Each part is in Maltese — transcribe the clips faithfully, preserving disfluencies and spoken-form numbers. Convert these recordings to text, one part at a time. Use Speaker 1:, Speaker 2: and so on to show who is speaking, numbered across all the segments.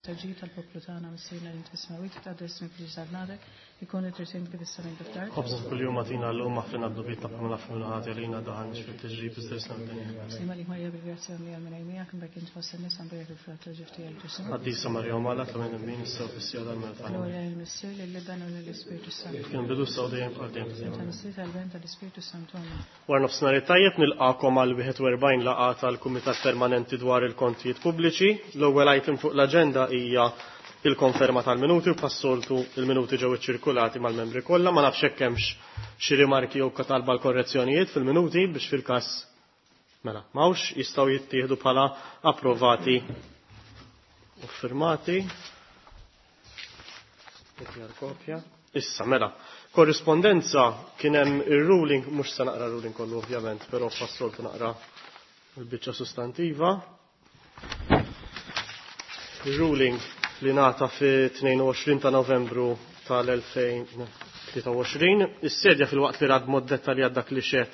Speaker 1: Tal-ġid tal-poplu tagħna Missierna li inti fis-smewwiet, titqaddes ismek tiġi saltnatek, ikun li trid int kif is-sema kif fl-art.
Speaker 2: Ħobżna kuljum agħtina llum aħfrilna dnubietna bħalma naħfru lil ħati għalina daħalniex fit-tiġrib iżda ħlisna mid-deni.
Speaker 1: Sliem għalik Marija bil-grazzja mimlija l-Mulej miegħek, imbierka int fost in-nisa mbierek il-frott tal-ġuf tiegħek Ġesù.
Speaker 2: Qaddisa Marija Omm Alla, itlob għalina midnibin issa u fis-siegħa tal-mewt tagħna.
Speaker 1: Glorja lill-Missier, lill-Iben u lill-Ispirtu s-Santu.
Speaker 2: Kif kien bidu issa u dejjem bħal dejjem
Speaker 1: Ta' Missier tal-Ben tal-Ispirtu s-Santu. Amen.
Speaker 2: Wara nofsinhar it-tajjeb nilqakom għal wieħed u erbgħin laqgħa tal-Kumitat Permanenti dwar il-Kontijiet Pubbliċi. L-ewwel item fuq l-aġenda hija il-konferma tal-minuti u bħas-soltu il-minuti ġew iċċirkulati mal-membri kollha. Ma nafx hekk hemmx xi rimarki jew talba l-korrezzjonijiet fil-minuti biex fil-każ mela m'hawnx jistgħu jittieħdu bħala approvati u firmati. Kopja. Issa mela, korrispondenza kien hemm ir-ruling, mhux se naqra ruling kollu ovvjament, però bħas-soltu naqra l-biċċa sostantiva. Ir-ruling li ngħata fi tnejn u għoxrin ta' Novembru tal-elfejn tlieta u għoxrin, is-sedja fil-waqt li rad mod dettaljat dak li xed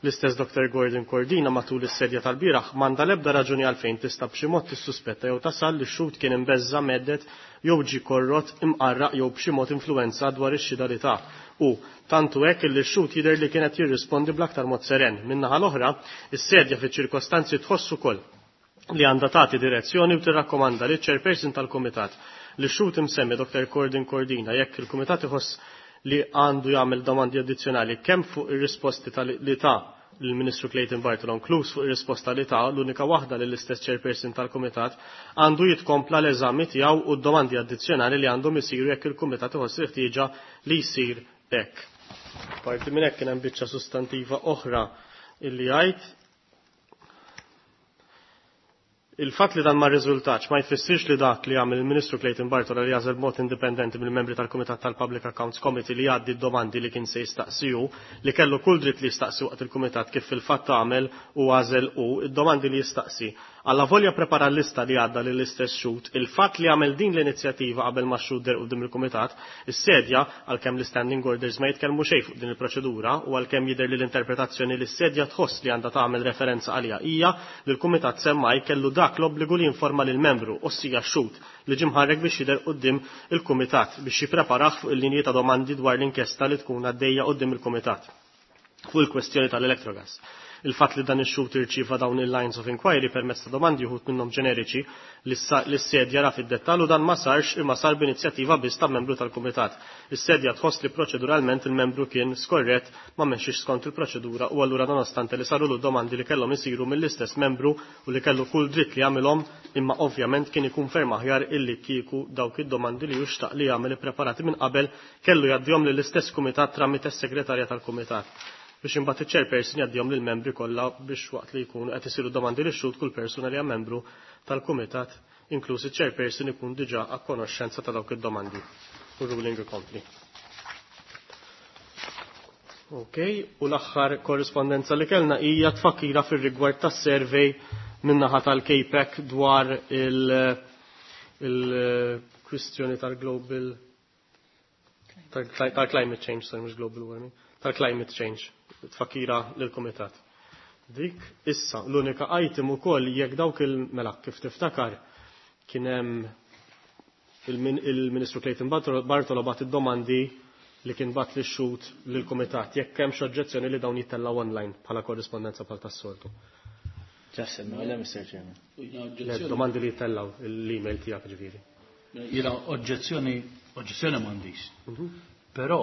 Speaker 2: l-istess Doktor Gordon Cordina matul is-sedja tal-bieraħ m'għandha l-ebda raġuni għalfejn tista' b'xi mod tissuspetta jew tasal li x-xhud kien imbeżża' medded jew ġie korrott imqarraq jew b'xi mod influenza dwar ix-xhieda li ta. U tantu hekk li x-xhud jidher li kienet jirrispondi bl-aktar mod seren. Min-naħa l-oħra, is-sedja fiċ-ċirkostanzi tħoss ukoll li għandha tagħti direzzjoni u tirrakkomanda li ċ-chairperson tal-kumitat li x-xhud imsemmi Doktor Gordon Cordina jekk il-kumitat iħoss li għandu jagħmel domandi addizzjonali kemm fuq ir-risposti li ta l-Ministru Clayton Bartolo inkluż fuq ir-risposta li ta l-unika waħda lill istess chairperson tal-kumitat għandu jitkompla l-eżami tiegħu u d-domandi addizzjonali li għandhom isiru jekk il-kumitat iħoss il-ħtieġa li jsir hekk. Parti minn hekk kien hemm biċċa sustantiva oħra illi jgħid il-fatt li dan ma rriżultax ma jfissirx li dak li għamel il-Ministru Clayton Bartolo li jagħżel b'mod indipendenti mill-membri tal-Kumitat tal-Public Accounts Committee li jgħaddi d-domandi li kien se jistaqsiju, li kellu kull dritt li jistaqsi waqt il-Kumitat kif fil-fatt għamel u għażel u id-domandi li jistaqsi. Alla volja prepara l-lista li għadda lill-istess xhud, il-fatt li għamel din l-inizjattiva qabel ma x-xhud der quddiem il-Kumitat, is-sedja għalkemm l-standing orders ma jitkellmu xejn fuq din il-proċedura u għalkemm jidher li l-interpretazzjoni li s-sedja tħoss li għandha tagħmel referenza għaliha hija li l-Kumitat semmaj kellu dak l-obbligu li jinforma lil membru, ossija x-xhud, li ġie mħarrek biex jidher quddiem il-Kumitat biex jippreparah fuq il-linji ta' domandi dwar l-inkjesta li tkun għaddejja quddiem il-Kumitat fuq il-kwestjoni tal-Electrogas. Il-fatt li dan ix-xhud irċieva dawn il-lines of inquiry permezz ta' domandi uħud minnhom ġeneriċi li s-sedja ra fid-dettall u dan ma sarx imma sar b'inizjattiva biss ta' membru tal-Kumitat. Is-sedja tħoss li proċeduralment il-membru kien skorrett ma mexxix skont il-proċedura u allura nonostante li saru l domandi li kellhom isiru mill-istess membru u li kellu kull dritt li jagħmilhom imma ovvjament kien ikun ferm aħjar illi kieku dawk id-domandi li juxtaq li jagħmel ippreparati minn qabel kellu jgħaddihom lill-istess kumitat tramite s-segretarja tal-kumitat biex imbagħad iċ-chairperson jgħaddihom lill-membri kollha biex waqt li jkunu qed isiru domandi lix xhud kull persuna li hija membru tal-kumitat inkluż iċ-chairperson ikun diġà a konoxxenza ta' dawk id-domandi. U ruling ikompli. Ok, u l-aħħar korrispondenza li kellna hija tfakkira fir-rigward tas-survey min-naħa tal-K P E C dwar il-kwistjoni tal-global tal-climate change, sorry, mhux global warming, tal-climate change, tfakkira lill-kumitat. Dik issa l-unika item ukoll jekk dawk il-mela kif tiftakar kien hemm il-Ministru Clayton Bartolo bagħat id-domandi li kien bagħat lix-xhud lill-kumitat jekk hemm xi oġġezzjoni li dawn jittellgħu online bħala korrispondenza bħal tas-soltu.
Speaker 3: Ġassem, le Mister Chairman.
Speaker 2: Le, domandi li jittellgħu l-email tiegħek ġifieri.
Speaker 4: Jiena oġġezzjoni, oġġezzjoni m'għandix. Però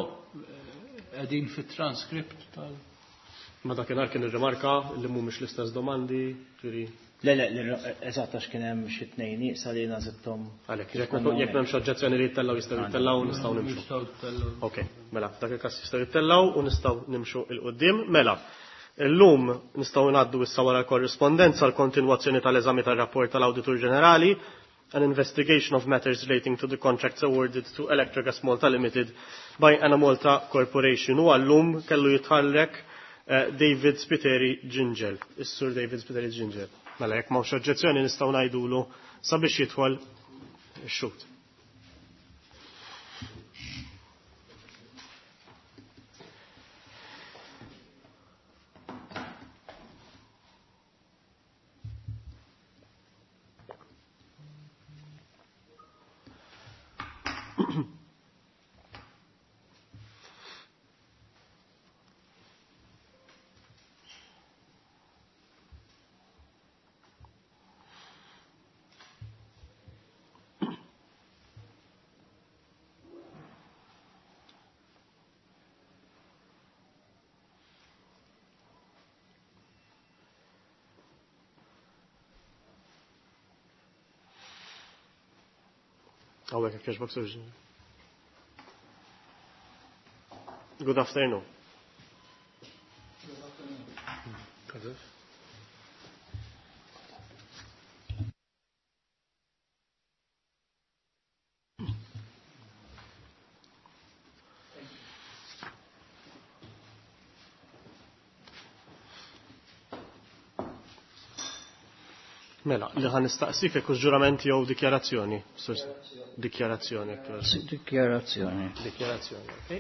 Speaker 4: qegħdin fit-transkript tal
Speaker 2: Ma dakinhar kien irrimarka li mhumiex l-istess domandi, ġifieri.
Speaker 3: Le, le, le, eżatt għax kien hemm xi tnejn nieqsa li nażitthom.
Speaker 2: Għalhekk, jekk jekk m'hemmx oġġezzjoni li jittellgħu jistgħu jittellgħu nistgħu nimxu.
Speaker 4: Nistgħu jittellgħu.
Speaker 2: Ok, mela, f'dak il-każ jistgħu jittellgħu u nistgħu nimxu 'l quddiem. Mela, illum nistgħu ngħaddu issa wara l-korrispondenza l-kontinwazzjoni tal-eżami tar-rapport tal-Awditur Ġenerali, an investigation of matters relating to the contracts awarded to Electrogas Malta Limited by Enemalta Corporation. U għallum kellu jitħallek eh, David Spiteri Gingell, is-sur David Spiteri Gingell. Mela, jekk m'hawnx oġġezzjoni nistgħu ngħidulu sabiex jidħol ix-xhud. Hawnhekk jekk jogħġbok, Sur Good afternoon.
Speaker 4: Good afternoon.
Speaker 2: Mela, li ħa nistaqsik jekk hux ġurament jew dikjarazzjoni. Dikjarazzjoni.
Speaker 5: Dikjarazzjoni.
Speaker 2: Dikjarazzjoni, ok.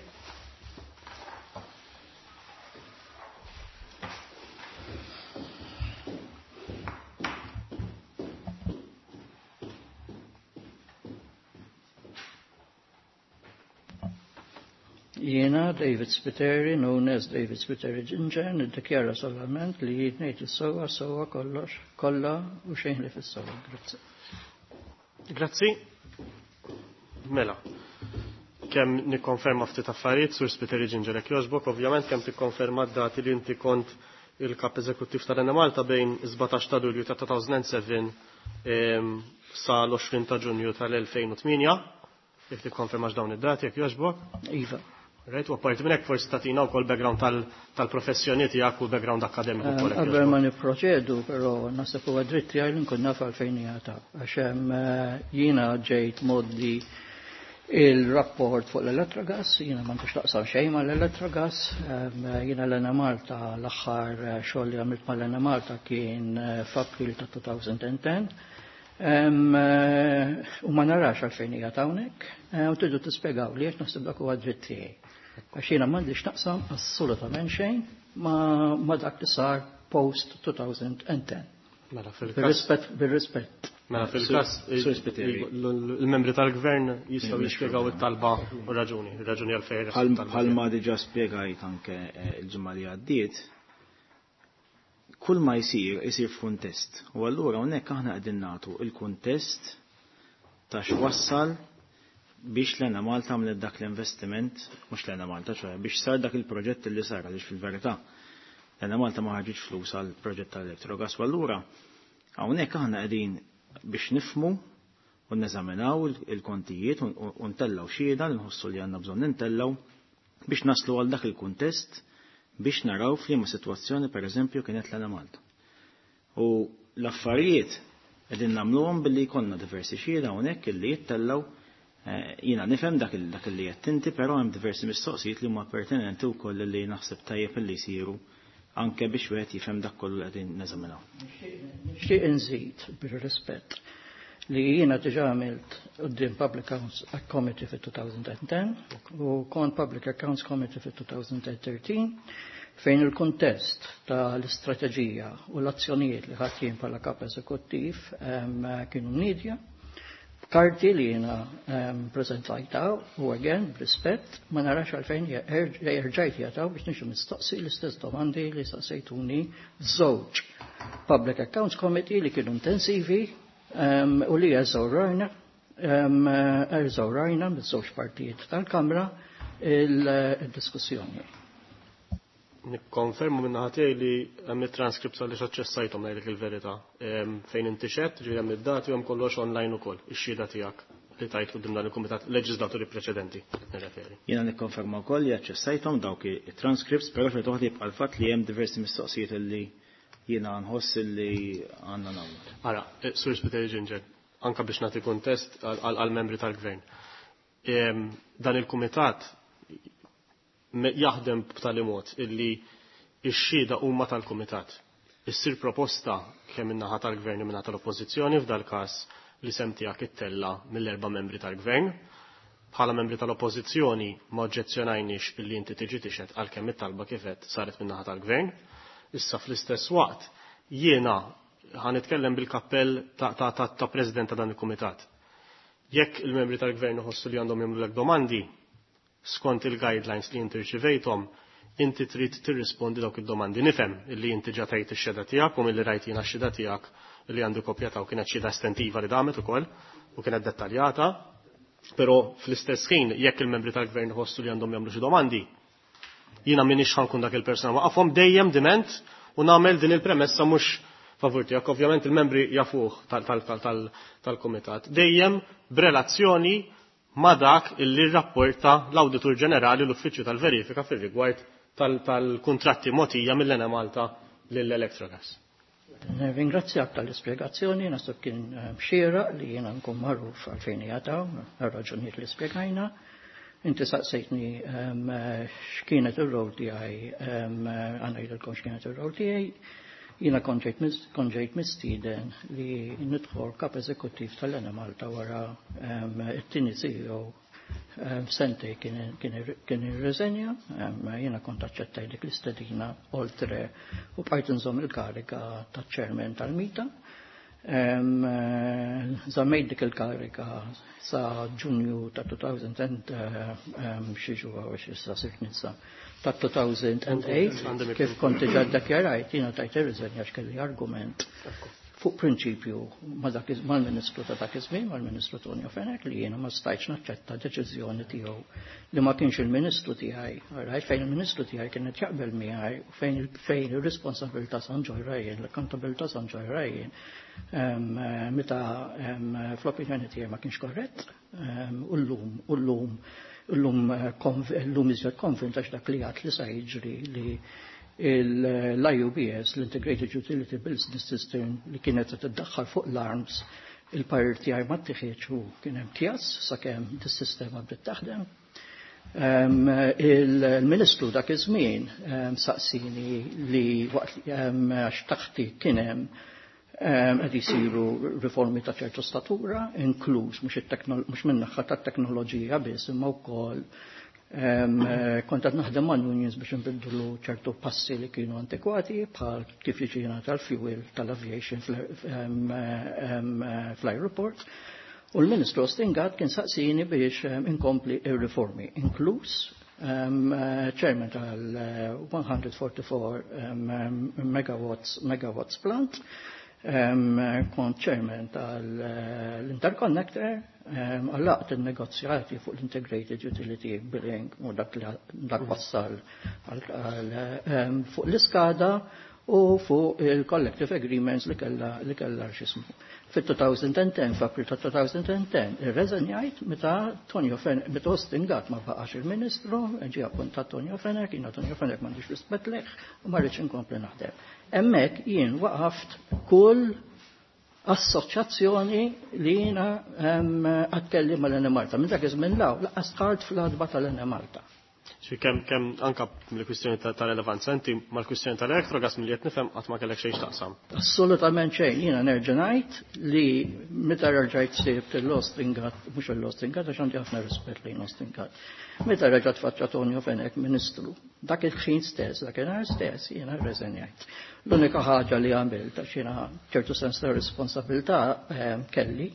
Speaker 5: Jiena David Spiteri, known as David Spiteri Ginger, niddikjara solament li jien ngħid is-sewwa sewwa kollox kollha u xejn li fis-sewwa. Grazzi.
Speaker 2: Grazzi. Mela. Kemm nikkonferma ftit affarijiet Sur Spiteri Ginger jekk jogħġbok, ovvjament kemm tikkonferma d-dati li inti kont il-kap eżekuttiv tal-Enemalta bejn sbatax ta' Lulju ta' two thousand seven sa l-għoxrin ta' Ġunju tal-elfejn u tmienja. Jekk tikkonfermax dawn id-dati jekk jogħġbok.
Speaker 5: Iva.
Speaker 2: Right, u apparti minn hekk forsi tagħtina wkoll background tal-professjoni tiegħek u background akademiku wkoll.
Speaker 5: Qabel ma nipproċedu, però naħseb huwa dritt tiegħi li nkun naf għalfejn hija għax hemm jiena ġejt moddi il-rapport fuq l-Electrogas, jiena m'għandux taqsam xejn mal-Electrogas, jiena l-Enemalta l-aħħar xogħol li għamilt mal-Enemalta kien f'April ta' two thousand ten. U ma narax għalfejn hija hawnhekk, u tridu tispjegaw li għax naħseb dak huwa dritt tiegħi. Għax jiena m'għandix naqsam assolutament xejn ma dak li sar post twenty ten.
Speaker 2: Mela fil-każ.
Speaker 5: Bir-rispett, bir-rispett.
Speaker 2: Mela fil-każ il-membri tal-gvern jistgħu jispjegaw it-talba u raġuni, raġuni għalfejn.
Speaker 3: Bħalma diġà spjegajt anke l-ġimgħa li għaddiet, kull ma jsir isir f'kuntest. U allura hawnhekk aħna qegħdin nagħtu il-kuntest ta' x'wassal biex l-Enemalta għamlet dak l-investiment, mhux l-Enemalta, ċoħe, biex sar dak il-proġett li sar, għaliex fil-verità l-Enemalta ma ħarġitx flus għal proġett tal-Electrogas. U allura hawnhekk aħna qegħdin biex nifmu u neżaminaw il-kontijiet u ntellaw xhieda li nħossu li għandna bżonn nintellaw biex naslu għal dak il-kuntest biex naraw f'liema sitwazzjoni pereżempju kienet l-Enemalta. U l-affarijiet qegħdin nagħmluhom billi jkollna diversi xhieda hawnhekk illi jittellaw. Jiena nifhem dak li qed inti, però hemm diversi mistoqsijiet li huma pertinenti wkoll li naħseb tajjeb li jsiru anke biex wieħed jifhem dak kollu li qegħdin neżaminaw.
Speaker 5: Nixtieq inżid bir-rispett li jiena diġà għamilt quddiem Public Accounts Committee fit-twenty ten u kont Public Accounts Committee fit-twenty thirteen fejn il-kontest tal-istrateġija u l-azzjonijiet li ħadt jien bħala kap eżekuttiv kienu mnedija karti li jiena prezentajta u again, b'rispett, ma narax għalfejn erġajt jataw biex niġu mistoqsi l-istess domandi li staqsejtuni żewġ Public Accounts Committee li kienu intensivi u li eżawrajna eżawrajna miż-żewġ partijiet tal-Kamra il-diskussjoni.
Speaker 2: Nikkonfermu minn naħa tiegħi li hemm it-transcripts għaliex aċċessajthom ngħidlek il-verità. Fejn inti xedt, ġifieri hemm id-dati u hemm kollox online ukoll, ix-xhieda tiegħek li tajt quddiem dan il-kumitat leġislaturi preċedenti qed nirreferi.
Speaker 3: Jiena nikkonferma wkoll li aċċessajthom dawk it-transcripts, però xorta waħda jibqa' l-fatt li hemm diversi mistoqsijiet li jiena nħoss li għandna nagħmlu.
Speaker 2: Ara, Sur Spiteri Ginger, anka biex nagħti kuntest għal-membri tal-gvern. Dan il-kumitat jaħdem b'tali mod illi x-xhieda huma tal-kumitat. Issir proposta kemm min-naħa tal-gvern u min-naħa tal-oppożizzjoni, f'dal każ li sem tiegħek ittella mill-erba' membri tal-gvern. Bħala membri tal-oppożizzjoni ma oġġezzjonajniex illi inti tiġi tixhed għalkemm it-talba kifet saret min-naħa tal-gvern. Issa fl-istess waqt jiena ħa nitkellem bil-kappell ta', ta, ta, ta' president ta' dan il-kumitat. Jekk il-membri tal-gvern iħossu li għandhom jagħmlulek domandi skont il-guidelines li inti rċivejthom, inti trid tirrispondi dawk id-domandi. Nifhem illi inti ġa tajt ix-xehda tiegħek u milli rajt jiena x-xehda tiegħek li għandu kopja ta' u kienet xhieda estentiva li damet ukoll u kienet dettaljata, però fl-istess ħin jekk il-membri tal-gvern iħossu li għandhom jagħmlu xi domandi, jiena m'iniex ħa nkun dak il-persuna waqafhom dejjem diment u nagħmel din il-premessa mhux favur tiegħek, ovvjament il-membri jafuh tal-kumitat. Dejjem b'relazzjoni ma' dak illi rrapporta l-Awditur Ġenerali l-Uffiċċju tal-Verifika fir-rigward tal-kuntratti mogħtija mill-Enemalta lill-Electrogas.
Speaker 5: Ringrazzjak tal-ispjegazzjoni, naħseb kien xieraq li jiena nkun magħruf għalfejn jataw, għal-raġunijiet li spjegajna. Inti saqsejtni x'kienet ir-rol tiegħi, għandna ngħidilkom x'kienet ir-rol tiegħi. Jiena kont ġejt mistieden li nidħol kap eżekuttiv tal-Enemalta wara it-tieni C E O sentejn kien irreżenja, jiena kont aċċettaj dik l-istedina oltre u bqajt nżomm il-karika ta' chairman tal-MITA. Żammejt dik il-karika sa Ġunju ta' elfejn xi ġuwa u xi sa sirt ninsa ta' elfejn u tmienja, kif kont diġà ddikjarajt, jiena tajt ir-riżenja x'kelli argument fuq prinċipju mal-Ministru ta' dak iż-żmien, mal-Ministru Tonio Fenech, li jiena ma stajtx naċċetta deċiżjoni tiegħu li ma kienx il-Ministru tiegħi, right, fejn il-Ministru tiegħi kienet jaqbel miegħi u fejn fejn ir-responsabilità sa nġorrha jien, l-accountabilità sa nġorrha jien, meta fl-opinjoni tiegħi ma kienx korrett, u llum u llum llum llum iżjed konvint għax dak li għat li sa jiġri li l-I U B S, l-Integrated Utility Business System, li kienet tiddaħħal fuq l-A R Ms, il-parir tiegħi ma ttieħedx u kien hemm kjas sakemm dis-sistema bdiet taħdem. Il-Ministru dak iż-żmien saqsini li waqt għax taħti kien hemm qed isiru riformi ta' ċertu statura, inkluż mhux min-naħa tat-teknoloġija biss imma wkoll kont qed naħdem mal unions biex nbiddlu ċertu passi li kienu antikwati bħal kif jiġi tal-fuel tal-aviation fl-aeroport. U l-Ministru Austin Gatt kien saqsini biex inkompli ir-riformi, inkluż chairman tal-one hundred forty-four megawatts, megawatts plant, kont chairman tal-interconnector, għallaqt il-negozjati fuq l-Integrated Utility Billing u dak li dak wassal fuq l-iskada u fuq il-collective agreements li kella li kella x'ismu. Fit-elfejn u għaxra, f'April ta' elfejn u għaxra, irreżenjajt meta Tonio Fenech, meta Austin Gatt ma baqax il-Ministru, ġie appuntat Tonio Fenech, jiena Tonio Fenech m'għandix rispett lejh u ma rridx inkompli naħdem. Hemmhekk jien waqaft kull assoċjazzjoni li jiena għatkelli mal-Enemalta. Minn dak iż-żmien 'l hawn, lanqas dħalt fl-għatba tal-Enemalta.
Speaker 2: Xi kemm kemm anka mill-kwistjoni ta' relevanza, inti mal-kwistjoni tal-Electrogas milli qed nifhem qatt ma kellek xejn x'taqsam.
Speaker 5: Assolutament xejn, jiena nerġa' ngħid li meta rġajt sibt l-Austin Gatt, mhux l-Austin Gatt għax għandi ħafna rispett lejn Austin Gatt. Meta reġgħet faċċa Tonio Fenech Ministru, dak il-ħin stess, dak il stess, jiena rreżenjajt. L-unika ħaġa li għamilt, għax jiena ċertu sens ta' responsabilità kelli,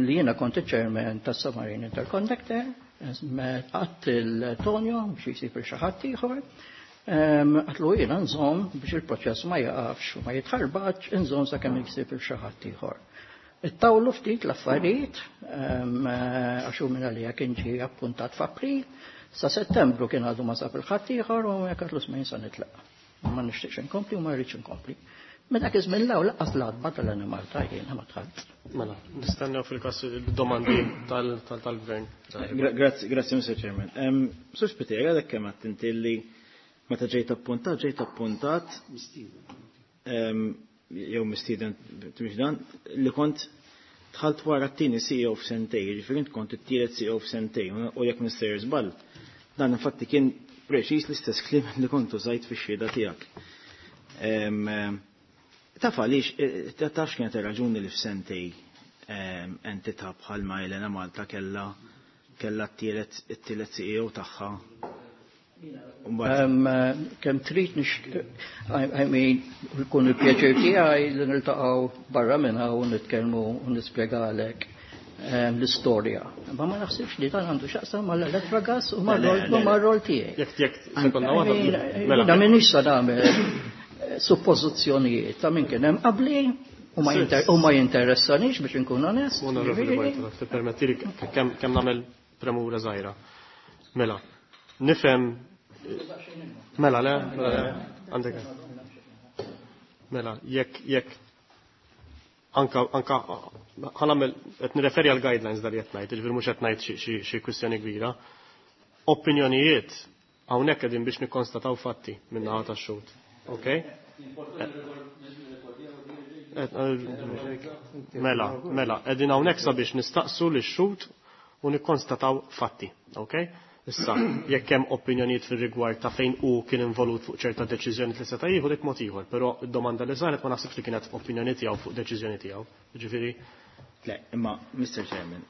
Speaker 5: li jiena kont il-chairman tas-Submarine Interconnector, għedt lil Tonio biex jisib xi ħadd ieħor, għedtlu jiena nżomm biex il-proċess ma jaqafx u ma jitħarbaċ, nżomm sakemm jisib xi ħadd ieħor. Ittawlu ftit l-affarijiet, għax hu minn għalija kien ġie appuntat f'April, sa Settembru kien għadu ma sab il-ħadd ieħor u jekk għedtlu smajn sa nitlaq. Ma nixtieqx inkompli u ma rridx inkompli. Minn dak iż-żmien 'l hawn lanqas l-għatba tal-Enemalta jiena ma dħalt.
Speaker 2: Mela, nistennew fil-każ il-domandi tal-gvern.
Speaker 3: Grazzi, grazzi, Mister Chairman. Sur Spiteri, għadek kemm għedt inti li meta ġejt appuntat, ġejt appuntat jew mistieden tmix dan, li kont dħalt wara t-tieni C E O f'sentejn, jiġifieri int kont it-tielet C E O f'sentejn, u jekk mister żball, dan infatti kien preċiż l-istess kliem li kont użajt fix-xhieda tiegħek. Taf għaliex, taf x'kienet ir-raġuni li f'sentejn entità bħalma l-Enemalta kella kella t-tielet C E O tagħha?
Speaker 5: Kemm trid nix, I mean, jkun il-pjaċir tiegħi li niltaqgħu barra minn hawn u nitkellmu u nispjegalek l-istorja. Ma ma naħsibx li dan għandu x'jaqsam mal-Electrogas u mar-rol tiegħi.
Speaker 2: Jekk jekk sekonda waħda.
Speaker 5: Jiena m'iniex sa nagħmel suppożizzjonijiet ta' min kien hemm qabli u ma jinteressanix biex inkun onest.
Speaker 2: Onorevoli Bartolo, tippermettili kemm nagħmel premura żgħira. Mela, nifhem mela le, mela le, għandek. Mela, jekk jekk anka anka ħa nagħmel qed nirreferi għal guidelines dal qed ngħid, jiġifieri mhux qed ngħid xi kwistjoni kbira. Opinjonijiet hawnhekk qegħdin biex nikkonstataw fatti min-naħa tax-xhud. Okay? Mela, mela, qegħdin hawnhekk sabiex nistaqsu lix-xhud u nikkonstataw fatti, okay? Issa, jekk hemm opinjonijiet fir-rigward ta' fejn hu kien involut fuq ċerta deċiżjoni li seta' jieħu dik mod ieħor, però d-domanda li saret ma naħsibx li kienet opinjoni tiegħu fuq deċiżjoni tiegħu. Jiġifieri.
Speaker 3: Le, imma Mister Chairman,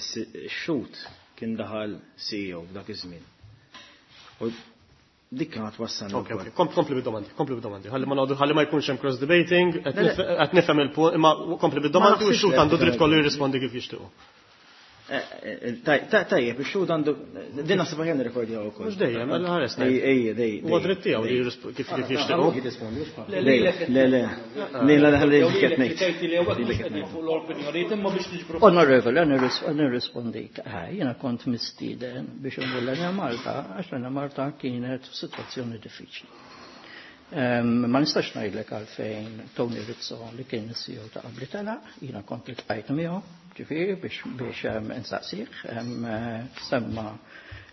Speaker 3: ix-xhud kien daħal C E O f'dak iż-żmien. U dik kienet wassalna.
Speaker 2: Ok, ok, kompli bid-domandi, kompli bid-domandi. Ħalli ma noqogħdu, ħalli ma jkunx hemm cross debating, qed nifhem il-punt, imma kompli bid-domandi u x-xhud għandu dritt kollu jirrispondi kif jixtiequ.
Speaker 3: Tajjeb, ix-xhud għandu din naħseb aħjar nirrekordjaw ukoll.
Speaker 2: Mhux dejjem, mela ħares.
Speaker 3: Ej, ej, dej.
Speaker 2: Huwa dritt tiegħu li kif kif jixtiequ.
Speaker 3: Le, le, le. Le, le, le, qed ngħid.
Speaker 5: Onorevoli, nirrispondik. Jiena kont mistieden biex imur l-Enemalta għax l-Enemalta kienet f'sitwazzjoni diffiċli. Ma nistax ngħidlek għalfejn Tony Rizzo li kien is-C E O ta' qabli telaq, jiena kont iltqajt miegħu. Ġifieri biex biex insaqsih, semma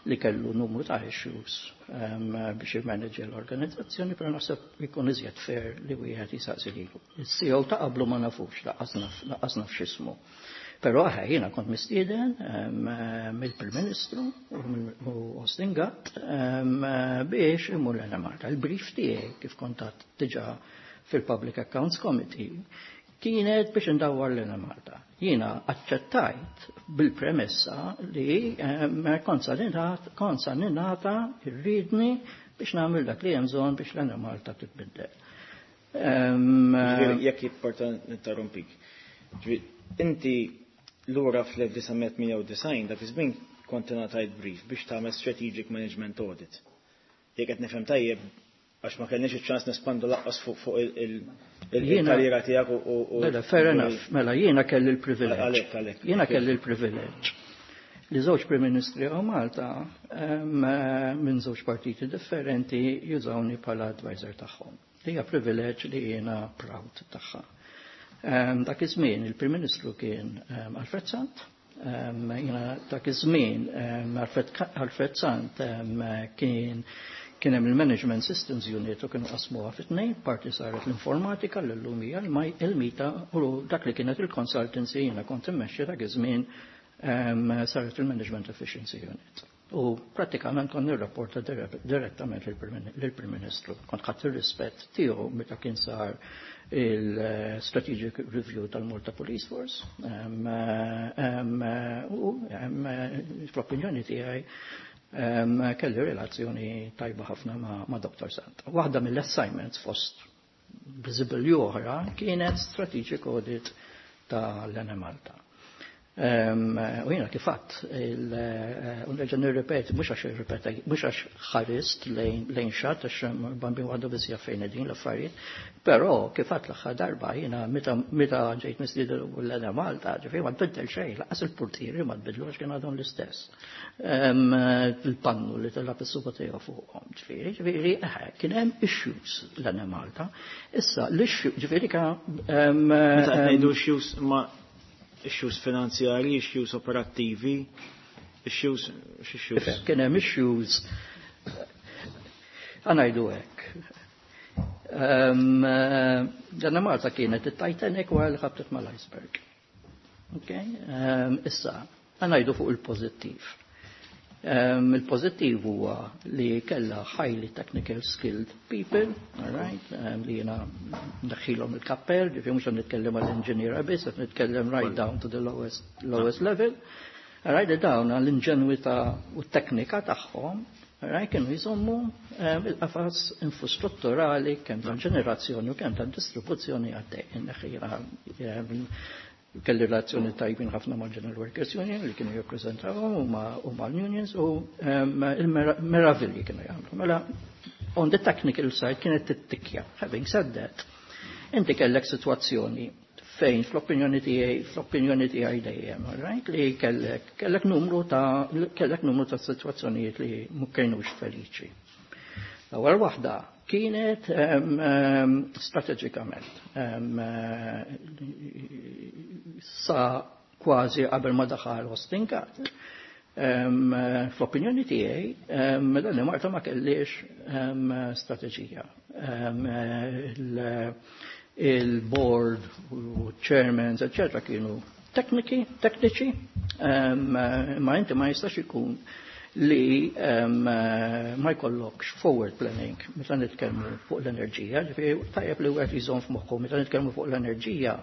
Speaker 5: li kellu numru ta' issues biex jimanaġġja l-organizzazzjoni, però naħseb ikun iżjed fair li wieħed jisaqsi lilu. Is-C E O ta' qablu ma nafux, lanqas naf x'ismu. Però aħe jiena kont mistieden mill-Prim Ministru u Austin Gatt biex imur l-Enemalta. Il-brief tiegħi kif kont għadt diġà fil-Public Accounts Committee kienet biex indawwar l-Enemalta. Jiena aċċettajt bil-premessa li kont sa ningħata rridni biex nagħmel dak li hemm bżonn biex l-Enemalta titbiddel.
Speaker 3: Jekk jipporta ninterrompik. Inti lura fl-elf disa' mija tmienja u disgħin dak iż-żmien kont ingħatajt brief biex tagħmel strategic management audit. Jekk qed nifhem tajjeb għax ma kellniex iċ-ċans nespandu laqqas fuq il-karriera tiegħek u
Speaker 5: Mela, fair enough, mela jiena kelli l-privileġġ.
Speaker 3: Għalhekk, għalhekk.
Speaker 5: Jiena kelli l-privileġġ li żewġ Prim Ministri għaw Malta minn żewġ partiti differenti jużawni bħala advisor tagħhom. Li hija privileġġ li jiena proud tagħha. Dak iż-żmien il-Prim Ministru kien Alfred Sant. Jiena dak iż-żmien Alfred Sant kien kien hemm il-Management Systems Unit u kienu qasmuha fi tnejn, parti saret l-informatika l-lum hija il-mita u dak li kienet il-consultancy jiena kont immexxi dak iż-żmien saret il-Management Efficiency Unit. U prattikament kont nirrapporta direttament lill-Prim Ministru. Kont ħadt ir-rispett tiegħu meta kien sar il-Strategic Review tal-Malta Police Force. U fl-opinjoni tiegħi kelli relazzjoni tajba ħafna ma' Doktor Sant. Waħda mill-assignments fost visible oħra kienet strategic audit tal-Enemalta. U jiena kif għadt, u nerġa' nirrepeti, mhux għax irrepeti, mhux għax ħarist lejn xatt, għax bambin waħdu biss jaf fejn qegħdin l-affarijiet, però kif għadt l-aħħar darba jiena meta ġejt mistieden l-Enemalta, ġifieri ma tbiddel xejn, lanqas il-portieri ma tbiddlu għax kien għadhom l-istess. Il-pannu li tilgħab is-suba tiegħu fuqhom, ġifieri, ġifieri, kien hemm issues l-Enemalta. Issa l-issue, ġifieri
Speaker 3: ka Meta qed ngħidu issues ma issues finanzjari, issues operattivi, issues, x'issues?
Speaker 5: Kien hemm issues, ħa ngħidu hekk. L-Enemalta kienet it-Titanic wara li ħabtet mal-iceberg. Okay? Issa, ħa ngħidu fuq il-pożittiv. Il-pożittiv huwa li kellha highly technical skilled people, all right, li jiena ndaħħilhom il-kappell, ġifieri mhux qed nitkellem għall-inġiniera biss, qed nitkellem right down to the lowest, lowest level. All right, li dawn l-inġenwità u t-teknika tagħhom, all right, kienu jżommu il-qafas infrastrutturali kemm tal-ġenerazzjoni u kemm tad-distribuzzjoni għaddej. Kelli relazzjoni tajbin ħafna mal General Workers Union li kienu jirrappreżentawhom u mal-unions u il-meravilji kienu jagħmlu. Mela, on the technical side kienet tittikja. Having said that, inti kellek sitwazzjoni fejn fl-opinjoni tiegħi fl-opinjoni tiegħi dejjem, right? Li kellek kellek numru ta' kellek numru ta' sitwazzjonijiet li ma kienux feliċi. L-ewwel waħda kienet um, um, strateġikament um, sa kważi qabel ma daħal Austin Gatt. Um, fl-opinjoni tiegħi um, l-Enemalta ma kellix um, strateġija. Um, il-board u chairmans, eccetera, kienu tekniki, tekniċi, um, ma inti ma jistax ikun li um, ma jkollokx forward planning meta nitkellmu fuq l-enerġija, ġifieri tajjeb li wieħed jżomm f'moħħu meta nitkellmu fuq l-enerġija,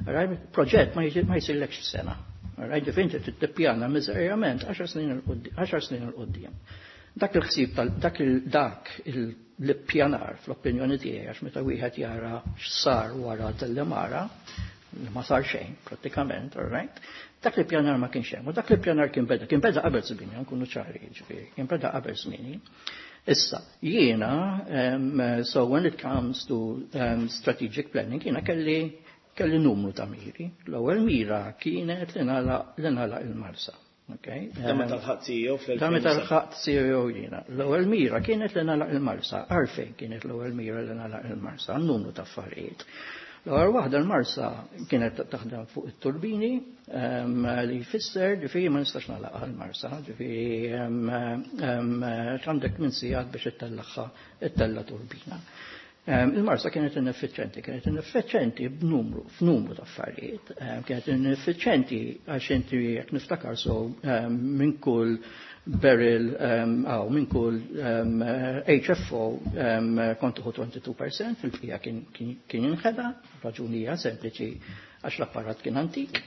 Speaker 5: right, proġett ma jsirlekx sena. Right, ġifieri inti tippjana miżerjament għaxar snin 'il quddiem. Dak il-ħsieb tal dak il dak l-ippjanar fl-opinjoni tiegħi, għax meta wieħed jara x'sar wara Delimara, li ma sar xejn prattikament, all right? Dak li pjanar ma kienx hemm, u dak li pjanar kien beda, kien beda qabel żmieni, nkunu ċari, ġifieri, kien beda qabel żmieni. Issa, jiena, um, so when it comes to um, strategic planning, jiena kelli kelli numru ta' miri. L-ewwel mira kienet li nagħlaq il-Marsa. Okay?
Speaker 3: Da meta lħaqt C E O fl.
Speaker 5: Da meta lħaqt C E O jiena. L-ewwel mira kienet li nagħlaq il-Marsa. Għalfejn kienet l-ewwel mira li nagħlaq il-Marsa? Numru ta' affarijiet. L-ewwel waħda, l-Marsa kienet taħdem fuq it-turbini, li jfisser ġifieri ma nistax nagħlaq l-Marsa, ġifieri għandek minn sigħat biex ittellagħha ittella' turbina. Il-Marsa kienet ineffiċenti, kienet ineffiċenti b'numru, f'numru ta' affarijiet, kienet ineffiċenti għax inti, jekk niftakar so, minn kull barrel għaw minn kull H F O kont tieħu tnejn u għoxrin fil-mija, fil-bqija kien jinħeda, raġunija sempliċi għax l-apparat kien antik.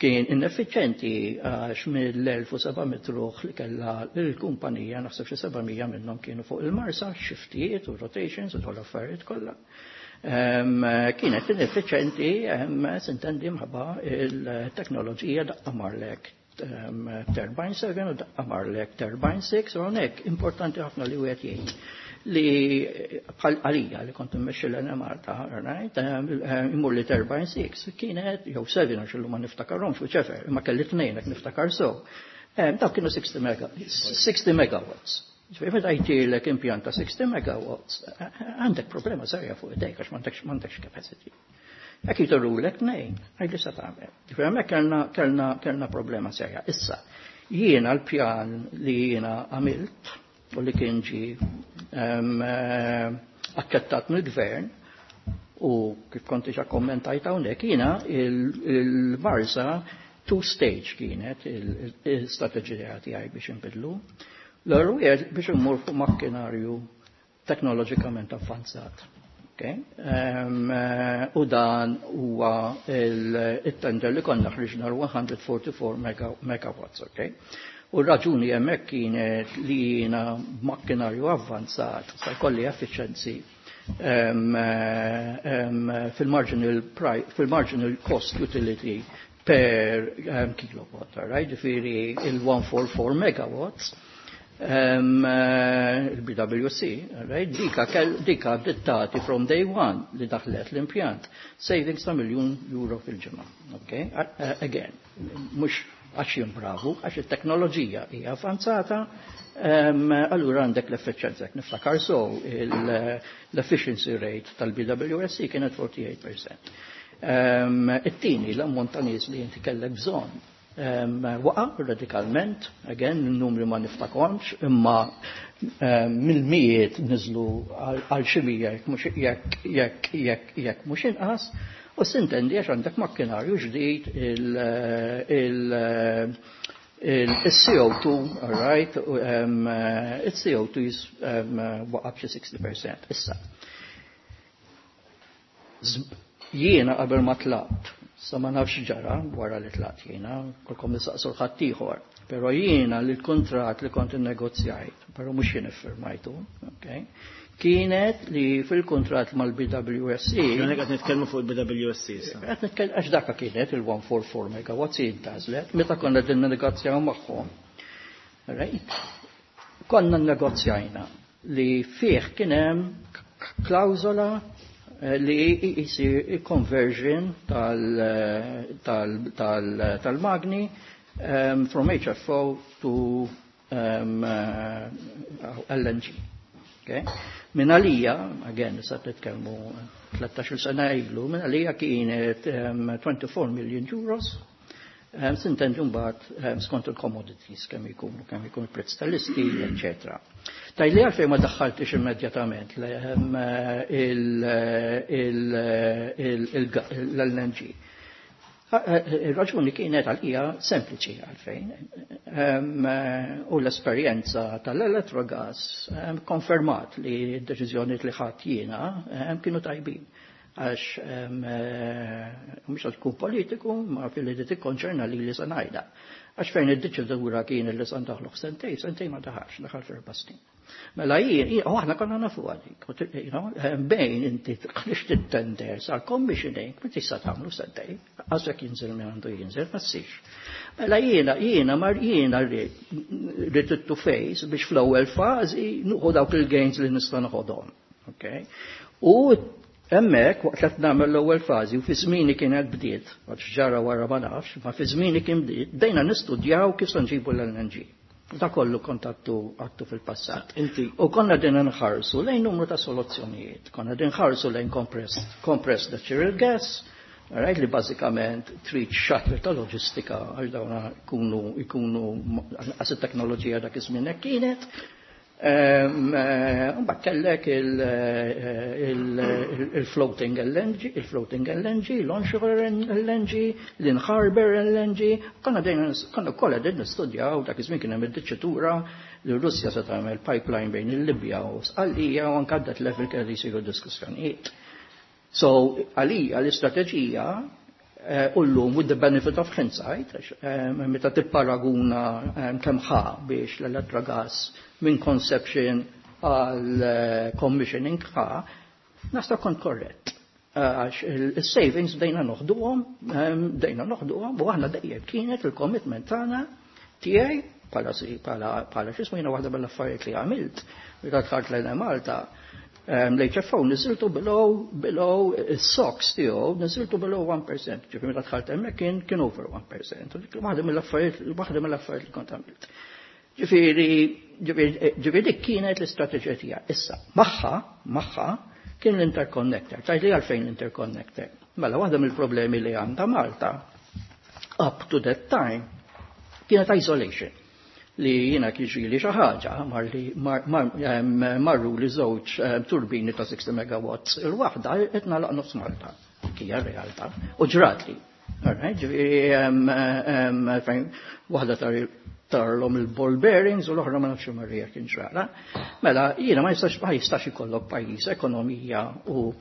Speaker 5: Kien ineffiċenti għax mill-elf u seba' mitt ruħ li kella l-kumpanija, naħseb xi seba' mija minnhom kienu fuq il-Marsa, shiftijiet u rotations u dawn l-affarijiet kollha. Kienet ineffiċenti, sintendi, mħabba il-teknoloġija, daqqa marlek turbine seba' u daqqa marlek turbine sitta, u hawnhekk importanti ħafna li wieħed jgħid li bħal għalija li kont immexxi l-Enemalta, right, imur li turbine sitta kienet, jew seba', għax illum ma niftakarhomx, whichever, imma kelli tnejn jekk niftakar so. Dawk kienu sittax mega, sixty megawatts. Ġifieri meta jtirlek impjant ta' sixty megawatts, għandek problema serja fuq idejk għax m'għandekx m'għandekx capacity. Jekk jitirulek tnejn, għidli sa tagħmel. Ġifieri hemmhekk kellna kellna kellna problema serja. Issa, jiena l-pjan li jiena għamilt u li kien ġi aċċettat mill-gvern u kif kont diġà kommentajt hawnhekk, jiena il-Marsa two stage kienet il-strateġija tiegħi biex inbidlu. L-ewwel biex immur fuq makkinarju teknoloġikament avvanzat. Okay? Um, u dan huwa il-tender li konna ħriġna cent erbgħa u erbgħin megawatts. Okay? U r-raġuni hemmhekk kienet li jiena makkinarju avvanzat sa jkolli efficiency um, um, fil-marginal fil-marginal cost utility per um, kilowatt, right? Ġifieri il-cent erbgħa u erbgħin megawatts um, il-B W C, right? Dika, dika dittati from day one li daħlet l-impjant. Savings ta' miljon euro fil-ġimgħa. Okay? Uh, again, mhux għax jien bravu, għax il-teknoloġija hija avanzata, um, allura għandek l-efficienza. Niftakar so, l-efficiency rate tal-B W S C kienet tmienja u erbgħin fil-mija. Um, It-tieni, l-ammont ta' nies li inti kellek bżonn um, waqa radikalment, again, il-numri ma niftakarhomx, imma um, mill-mijiet niżlu għal xi mija jekk jekk jekk jekk mhux inqas, u sintendi għax għandek makkinarju ġdid, il-C O two, all right, um, il-C O two is um, waqa b'xi sittax fil-mija. Issa, jiena qabel ma tlaqt, sa ma nafx ġara wara li tlaqt jiena, kulkom nistaqsu l-ħaddieħor, pero jiena li l-kontrat li kont innegozjajt, pero mhux jien iffirmajtu, okay, Kienet li fil-kontrat mal-B W S C.
Speaker 3: Jien qed nitkellmu fuq il-B W S C issa.
Speaker 5: Qed nitkellem għax daka kienet il-mija u erbgħa u erbgħin megawatts intgħażlet meta konna din negozjaw magħhom. Right? Konna negozjajna li fih kien hemm klawżola eh, li jisir conversion tal-magni um, from H F O to um, uh, L N G. Okay? Min għalija, again, sa nitkellmu tlettax-il sena ilu, min għalija kienet um, twenty-four million euros, um, s'intendi mbagħad um, skont il-commodities kemm ikunu, kemm ikun il-prezz tal-isteel, eċetera. Tgħidli għalfejn ma daħħaltix immedjatament l-L N G. Il-raġuni kienet għalija sempliċi għalfejn. U l-esperjenza tal-Electrogas konfermat li d-deċiżjoni li ħadt jiena kienu tajbin. Għax mhux tkun politiku, ma fil-li tikkonċerna li li sa ngħidha. Għax fejn id-deċidura kien li sa ndaħlu sentej, sentej ma daħalx, daħal f'erba' snin. Mela jien, u aħna konna nafu għalik, bejn inti tħlix tender sal commissioning, ma tista' tagħmlu sentej, għażek jinżel minn għandu jinżel, ma ssirx. Mela jiena, jiena mar jiena rrid to face biex fl-ewwel fażi nieħu dawk il-gains li nista' noħodhom. Okay? U hemmhekk waqt qed nagħmel l-ewwel fażi u fi żmieni kienet bdiet, għax ġara wara ma nafx, ma fi żmieni kien bdiet, bdejna nistudjaw kif se nġibu l-L N G. Da kollu kontattu għattu fil-passat.
Speaker 3: Inti.
Speaker 5: U konna din nħarsu lejn numru ta' soluzzjonijiet. Konna din nħarsu lejn compressed, compressed natural gas, right, li bażikament trid shuttle ta' loġistika għax dawna ikunu ikunu għas teknoloġija dak iż-żmien hekk kienet. Mbagħad kellek il-floating L N G, il-floating L N G, l-onshore L N G, l-in-harbor L N G, konna dejna konna kollha din nistudjaw dak iż-żmien kien hemm id-diċitura li Russja se tagħmel pipeline bejn il-Libja u Sqallija u anke that level kelli jsiru diskussjonijiet. So, għalija l-istrateġija u llum with the benefit of hindsight, meta tipparaguna kemm ħa biex l-Electrogas minn conception għal commissioning ħa, nasta kont korrett. Għax il-savings bdejna noħduhom, bdejna noħduhom, u aħna dejjem kienet il-commitment tagħna tiegħi bħala bħala bħala x'ismu jiena waħda mill-affarijiet li għamilt, meta dħalt lejn Malta, l-H F O niżiltu below, below il-SOx tiegħu niżiltu below one percent. Ġifieri meta dħalt hemmhekk kien kien over one percent. Waħda mill-affarijiet waħda mill-affarijiet li kont għamilt. Ġifieri ġifieri dik kienet l-istrateġija tiegħi. Issa, magħha, magħha kien l-interconnector. Tgħidli għalfejn l-interconnector? Mela waħda mill-problemi li għandha Malta up to that time kienet isolation li jiena kiġi li xi ħaġa marru li żewġ turbini ta' sixty megawatts il-waħda qed nagħlaq nofs Malta. Hija realtà. U ġrat li. Ġifieri waħda tarlhom il-ball bearings u l-oħra ma nafx marrija kien ġrala. Mela jiena ma jistax ma jistax ikollok pajjiż ekonomija u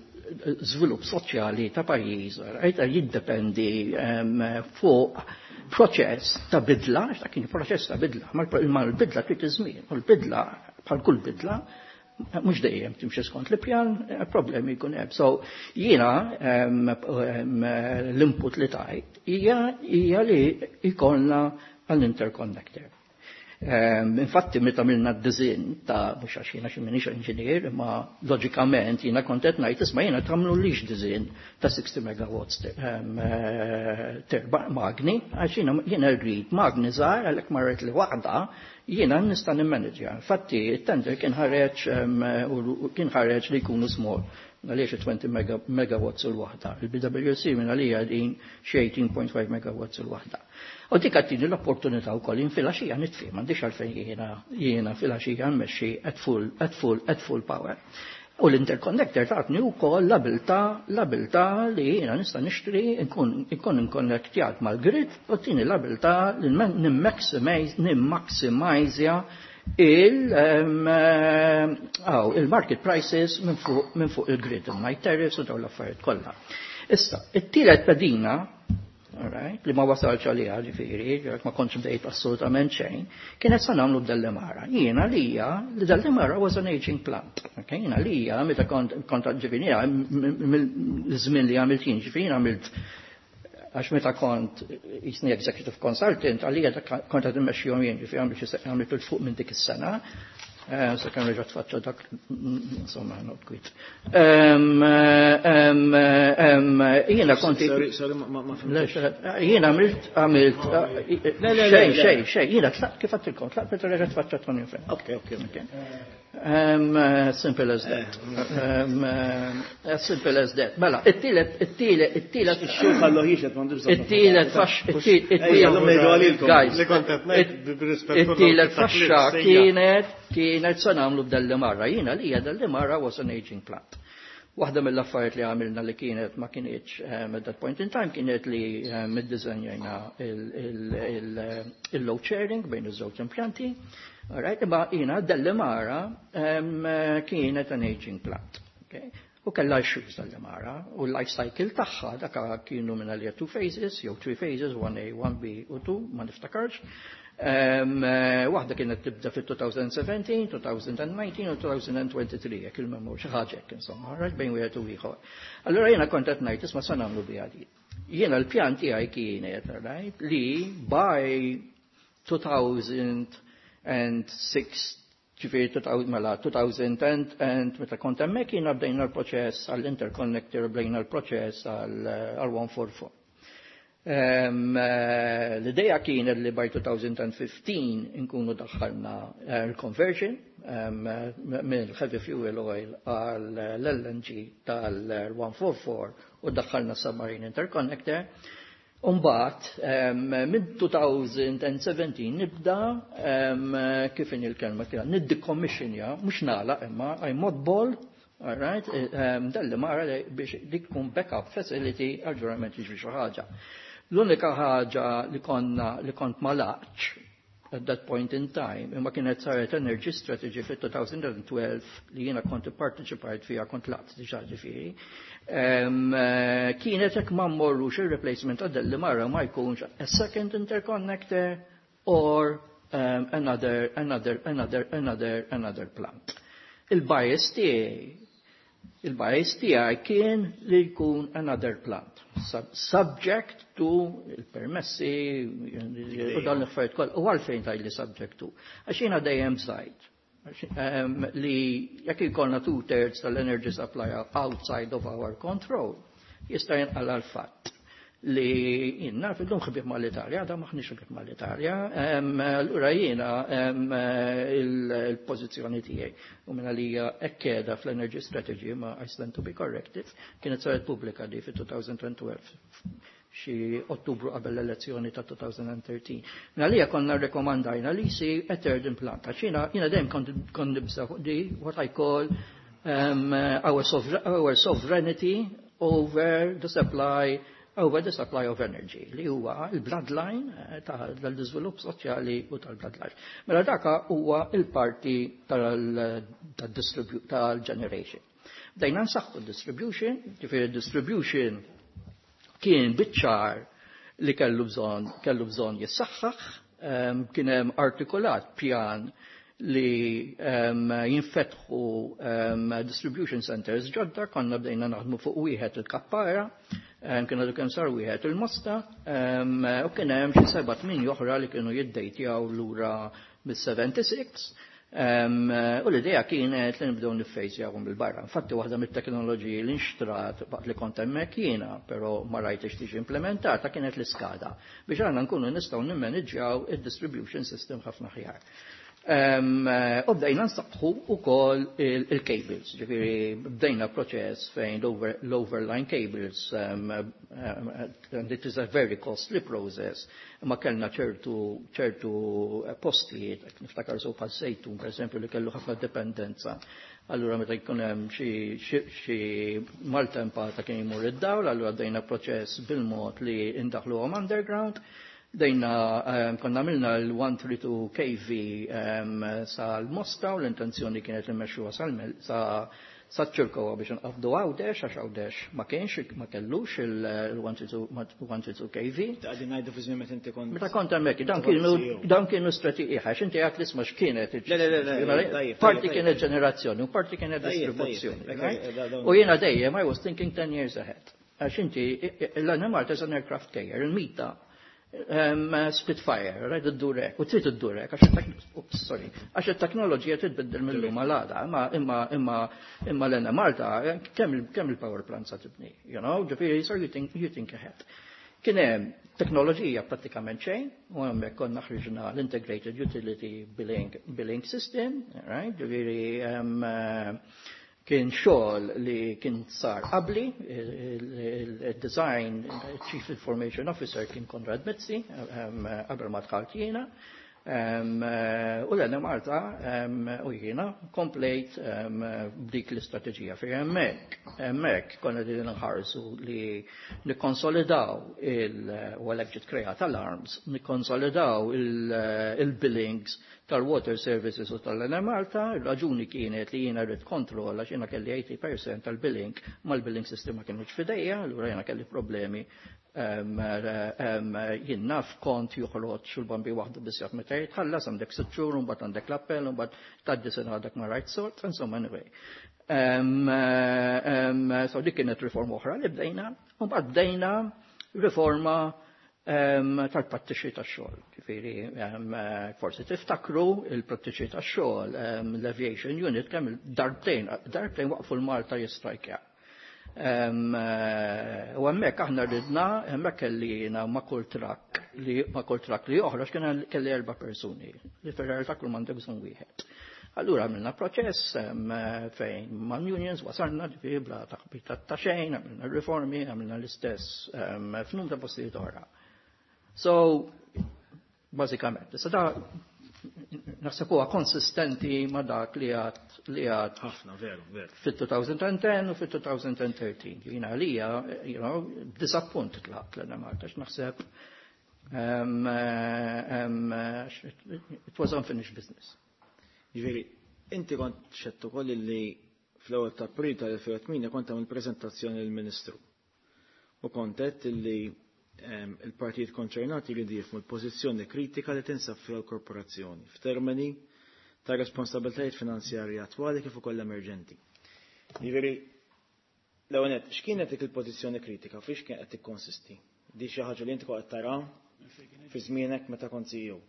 Speaker 5: żvilupp soċjali ta' pajjiż, right, jiddependi fuq proċess ta' bidla, ta' kien proċess ta' bidla, ma l-bidla trid iż-żmien, u l-bidla bħal kull bidla mhux dejjem timxi skont l-pjan, problemi jkun hemm. So jiena l-input li tajt hija hija li jkollna għall-interconnector. Infatti, meta għamilna d-design ta' mhux għax jiena xi m'iniex inġinier, imma loġikament jiena kont qed ngħid, isma', jiena tagħmlu lix design ta' sixty megawatts terba magni, għax jiena jiena rrid magni żgħar għalhekk marret li waħda jiena nista' nimmanagja. Infatti it-tender kien ħareġ kien ħareġ li jkunu small għaliex twenty megawatts il-waħda. Il-B W S C minn għalija din xi eighteen point five megawatts il-waħda. U dik għattini l-opportunità wkoll jien filgħaxija nitfi, m'għandix għalfejn jiena jiena filgħaxija nmexxi at full, at full, at full power. U l-interconnector tatni wkoll l-abilità l-abilità li jiena nista' nixtri nkun nkun inkonnektjat mal-grid u tini l-abilità li nimmaximajzja il-market prices minn fuq min fuq il-grid, il-night tariffs u dawn l-affarijiet kollha. Issa, it-tielet pedina. alright, li ma wasalx għaliha ġifieri, ma kontx bdejt assolutament xejn, kienet sa nagħmlu b'Delimara. Jiena lija li Delimara was an aging plant. Okay? Jiena lija meta kont kont ġifieri mill-żmien li għamilt jien, ġifieri għamilt għax meta kont jisni executive consultant, għalija kont qed immexxihom jien, ġifieri għamilt għamilt 'il fuq minn dik is-sena. Sa kemm reġa' tfaċċa dak, insomma, not quite. Jiena konti.
Speaker 3: Sorry, sorry, ma ma
Speaker 5: Jiena għamilt, għamilt, xejn, xejn, xejn, jiena tlaqt kif għedtilkom, tlaqt meta reġa' tfaċċa Tony Fenn.
Speaker 3: Ok, ok, ok.
Speaker 5: Simple as that. As simple as that. Mela, it-tielet, it-tielet, it-tielet.
Speaker 3: Xul ħallu jixet, m'għandux
Speaker 5: It-tielet fax, it-tielet. Guys, it-tielet faxxa kienet, kienet sa nagħmlu b'Delimara. Jiena li Delimara was an aging plant. Waħda mill-affarijiet li għamilna li kienet ma kienx at that point in time kienet li iddiżenjajna il-load sharing bejn iż-żewġ impjanti. Alright, imma jiena Delimara kienet an aging plant. Okay? U kellha issues Delimara u l-life cycle tagħha daka kienu minn għalija two phases, jew three phases, one A, one B u two, ma niftakarx. Waħda kienet tibda fit-twenty seventeen, twenty nineteen u twenty twenty-three, jekk il-memor xi ħaġa hekk insomma, right, bejn wieħed u ieħor. Allura jiena kont qed ngħid, isma', sa nagħmlu biha di. Jiena l-pjan tiegħi kienet, right, li by two thousand six, ġifieri mela two thousand and meta kont hemmhekk jiena bdejna l-proċess għall-interconnector, bdejna l-proċess għal one forty-four. L-ideja kienet li by twenty fifteen inkunu daħħalna l-conversion mill heavy fuel oil għal L N G tal-one forty-four u daħħalna submarine interconnector. Umbagħad, minn twenty seventeen nibda, kif in il-kelma tiegħek, niddecommissionja, mhux nagħlaq imma I mothball, all right, Delimara biex dik tkun backup facility għal-ġurament jiġri xi ħaġa. L-unika ħaġa li konna li kont ma laqtx at that point in time, imma kienet saret energy strategy fit-twenty twelve li jiena kont parteċipajt fija, kont laqt diġà ġifieri, kienet jekk ma mmorrux il-replacement ta' Delimara ma jkunx a second interconnector or um, another, another, another, another, another plant. Il-bias tiegħi Il-bias tiegħi kien li jkun another plant, subject to il-permessi u dan l-affarijiet kollha. U għalfejn taj li subject to? Għax jiena dejjem żajt li jekk ikollna two thirds tal-energy supply outside of our control, jista' jinqala l-fatt li jiena fil-lum ħbieb mal-Italja, da maħniex ħbieb mal-Italja, allura jiena il-pożizzjoni tiegħi u minna li ekkeda fl-Energy Strategy, ma I stand to be corrected, kienet saret pubblika di fit-twenty twelve, xi Ottubru qabel l-elezzjoni ta' twenty thirteen. Minna li konna rekomandajna li si a third implant. Għax jiena jiena dejjem kont nibża fuq di what I call um, our, our sovereignty over the supply over the supply of energy, li huwa il-bloodline tal-iżvilupp soċjali u tal-bloodline. Mela daka huwa il-parti tal-generation. Bdejna nsaħħu distribution, ġifieri distribution kien biċ-ċar li kellu bżonn kellu bżonn jissaħħaħ, kien hemm artikolat pjan li um, jinfetħu um, distribution centers ġodda, konna bdejna naħdmu fuq wieħed il-Kappara, um, kien għadu kemm sar wieħed il-Mosta, um, u kien hemm xi seba' tmien oħra li kienu jiddejtjaw lura mis-sebgħa u sebgħin. Um, u l-idea kienet li nibdew niffejzjawhom bil-barra. Infatti waħda mit-teknoloġiji li nxtrat waqt li kont hemmhekk jiena, però ma rajtx tiġi implementata, kienet l-SCADA biex għandna nkunu nistgħu nimmanġjaw id-distribution system ħafna aħjar. U bdejna nsaħħu ukoll il-cables, ġifieri bdejna proċess fejn l-overline cables, um, um, and it is a very costly process, ma kellna ċertu ċertu postijiet, niftakar so Żejtun, per esempio, li kellu ħafna dependenza. Allura meta jkun hemm xi maltempata kien jmur id-dawl, allura bdejna proċess bil-mod li indaħluhom underground. Dejna um, konna għamilna l one thirty-two K V um, sal-Mosta u l-intenzjoni kienet li mmexxuha sa, Saċ-Ċirkewwa biex nqabdu Għawdex, għax Għawdex ma kienx, ma kellux il one two two K V.
Speaker 3: Qegħdin ngħidu fi żmien meta inti kont.
Speaker 5: Meta kont hemmhekk, dan kienu dan kienu strategiji, għax inti għedt l-isma x'kienet.
Speaker 3: Le, le, le, le, tajjeb,
Speaker 5: Parti
Speaker 3: tajjeb,
Speaker 5: kienet ġenerazzjoni u parti kienet
Speaker 3: Tajjeb,
Speaker 5: distribuzzjoni,
Speaker 3: tajjeb,
Speaker 5: right?
Speaker 3: tajjeb, dawn-
Speaker 5: U jiena dejjem I was thinking ten years ahead. Għax inti l-Enemalta is an aircraft carrier, il-mita um, Spitfire, right, id-durek, u trid iddurek, għax il-tek- oops, sorry, għax il-teknoloġija titbiddel mill-lum għal-għada, imma imma imma imma l-Enemalta, kemm il- kemm il-power plant sa tibni, you know, ġifieri, so you think, you think ahead. Kien hemm teknoloġija prattikament xejn, u hemmhekk konna ħriġna l-Integrated Utility Billing, Billing System, right, ġifieri um, eh, kien xogħol li kien sar qabli, il-design Chief Information Officer kien Konrad Mizzi, um, qabel ma dħalt jiena, um, eh, u l-Enemalta um, u jiena komplejt um, b'dik l-istrateġija fi hemmhekk. Hemmhekk konna din nħarsu li nikkonsolidaw il u għalhekk ġiet kreat alarms, nikkonsolidaw il-billings tal-water services u tal-Enemalta. Il-raġuni kienet li jiena rrid kontroll għax jiena kelli tmenin fil-mija tal-billing mal-billing system ma kienux f'idejja, allura jiena kelli problemi um, um, jien naf kont joħroġ u l-Bambin waħdu biss jaf meta jitħallas, għandek sitt xhur, mbagħad għandek l-appell, mbagħad tgħaddi sena għadek ma rajt sort, insomma, anyway. Um, um, so dik kienet riforma oħra li bdejna, u mbagħad bdejna riforma um, tal-prattiċi tax-xogħol. Ġifieri um, forsi tiftakru il-prattiċi tax-xogħol, um, l-Aviation Unit kemm darbtejn, darbtejn waqfu l-Malta jistrajkja. Um, eh, u hemmhekk aħna ridna, hemmhekk kelli jiena ma' kull trakk li ma' kull trakk li joħroġ kien kelli erba' persuni li fir-realtà kull m'għandek bżonn wieħed. Allura għamilna proċess em, fejn man unions wasalna, ġifieri bla taħbita ta' xejn, għamilna riformi, għamilna l-istess em, f'num ta' postijiet oħra. So, bażikament, issa da naħseb huwa konsistenti ma' dak li għad li għad
Speaker 3: Ħafna, veru, veru.
Speaker 5: fit-elfejn u disa fit-elfejn u tlettax. Jiena għalija, you know, disappunt tlaqt l-Enemalta, naħseb um, um, it was unfinished business.
Speaker 3: Ġifieri, inti kont xedt ukoll li fl-ewwel ta' April tal-elfejn u tmienja kont għamil preżentazzjoni lill-Ministru. U kont għedt li em, il-partijiet konċernati jridu jifhmu l-pożizzjoni kritika li tinsab fiha l-korporazzjoni f'termini ta' responsabbiltajiet finanzjarji attwali kif ukoll emerġenti. Ġifieri, l-ewwel nett, x'kienet dik il-pożizzjoni kritika, fiex kien qed tikkonsisti? Di xi ħaġa li inti kont qed tara fi żmienek meta kont C E O.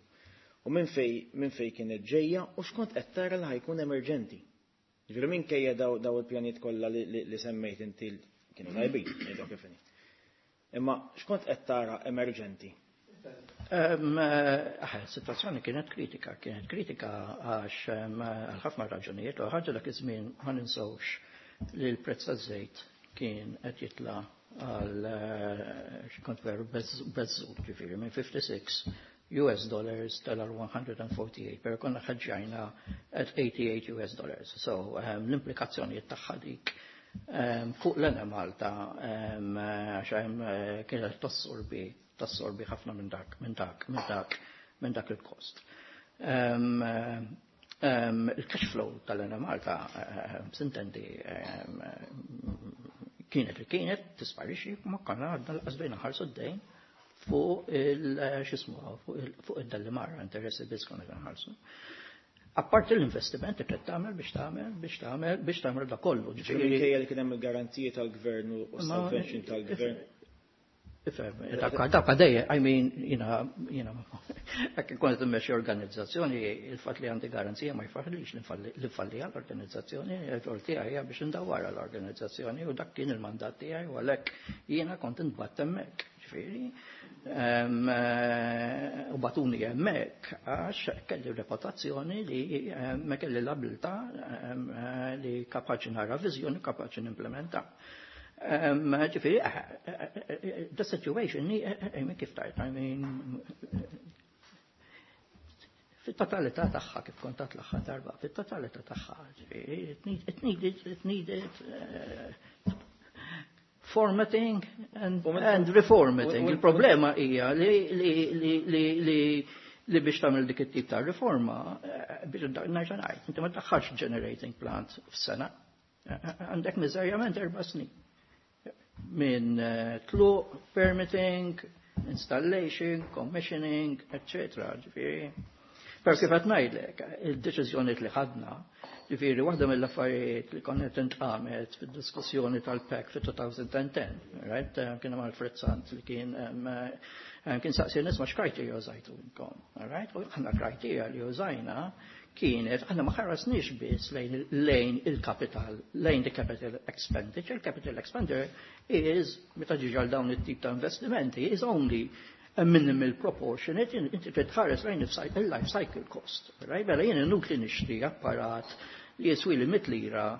Speaker 3: U minn fej minn fej kienet ġejja u x'kont qed tara li ħa jkun emerġenti? Ġifieri minkejja daw daw il-pjanijiet kollha li, li, li semmejt inti kienu tajbin, ngħidu kif inhi. Imma x'kont qed tara emerġenti?
Speaker 5: Um, uh, situazzjoni kienet kritika, kienet kritika għax um, għal ħafna raġunijiet, u ħaġa dak iż-żmien ma ninsewx li l-prezz taż-żejt kien qed jitla għal eh, x'kont veru beżżu, ġifieri minn fifty-six U S dollars tela one hundred forty-eight, pero konna ħeġġjajna at eighty-eight U S dollars. So um, l-implikazzjonijiet tagħha dik um, fuq l-Enemalta um, għax hemm eh, kienet tassorbi tassorbi ħafna minn dak minn dak minn dak minn dak il-kost. Um, um, il-cash flow tal-Enemalta um, sintendi um, kienet li kienet tisparixxi, ma konna għadna lanqas bdejna nħallsu d-dejn fuq il x'jismu fuq id-Delimara, interessi biss konna nħallsu. Apparti l-investiment li trid tagħmel biex tagħmel biex tagħmel biex tagħmel da kollu.
Speaker 3: Ġifieri minkejja li kien hemm il-garanziji tal-gvern u
Speaker 5: Ma-
Speaker 3: subvention tal-gvern.
Speaker 5: Ifhem, dak dak dejjem, I mean, jiena jiena jekk kont immexxi organizzazzjoni, il-fatt li għandi garanzija ma jfissirx li nfalli għall-organizzazzjoni, il-rol tiegħi hija biex indawwar l-organizzazzjoni u dak kien il-mandat tiegħi u għalhekk jiena kont intbagħat hemmhekk. Ġifieri, em, eh, u bagħtuni hemmhekk għax kelli reputazzjoni li em, kelli l-abilità em, eh, li kapaċi nara viżjoni, kapaċi nimplementa. Um, ġifieri, eh, eh, eh, the situation, I mean, kif tajt, I mean, fit-totalità tagħha, kif kont għedt l-aħħar darba, fit-totalità tagħha, ġifieri, it need- it needed, it needed uh, formatting and,
Speaker 3: U minn-
Speaker 5: and reformatting.
Speaker 3: u- u-
Speaker 5: Il-problema hija li li li li li li biex tagħmel dik it-tip ta' riforma, eh, biex nerġa' ngħid, inti ma tdaħħalx generating plant f'sena. Għandek miżerjament erba' snin. Minn tluq, permitting, installation, commissioning, et cetera. Ġifieri. Per kif qed ngħidlek, il-deċiżjoni li ħadna, ġifieri waħda mill-affarijiet li konna intqamet fid-diskussjoni tal-P A C fit-elfejn u għaxra, right? Kien hemm Alfred Sant li kien kien saqsi nisma' x'criteria użajtu intom, right? U aħna criteria li użajna kienet, aħna ma ħaresniex biss lejn lejn il-capital, lejn the capital expenditure. Capital expenditure is, meta ġiġi għal dawn it-tip ta' investimenti, is only a minimal proportionate, inti trid tħares lejn il-life cycle cost. Right? Mela jien inutli nixtri apparat li jiswi li mitt lira,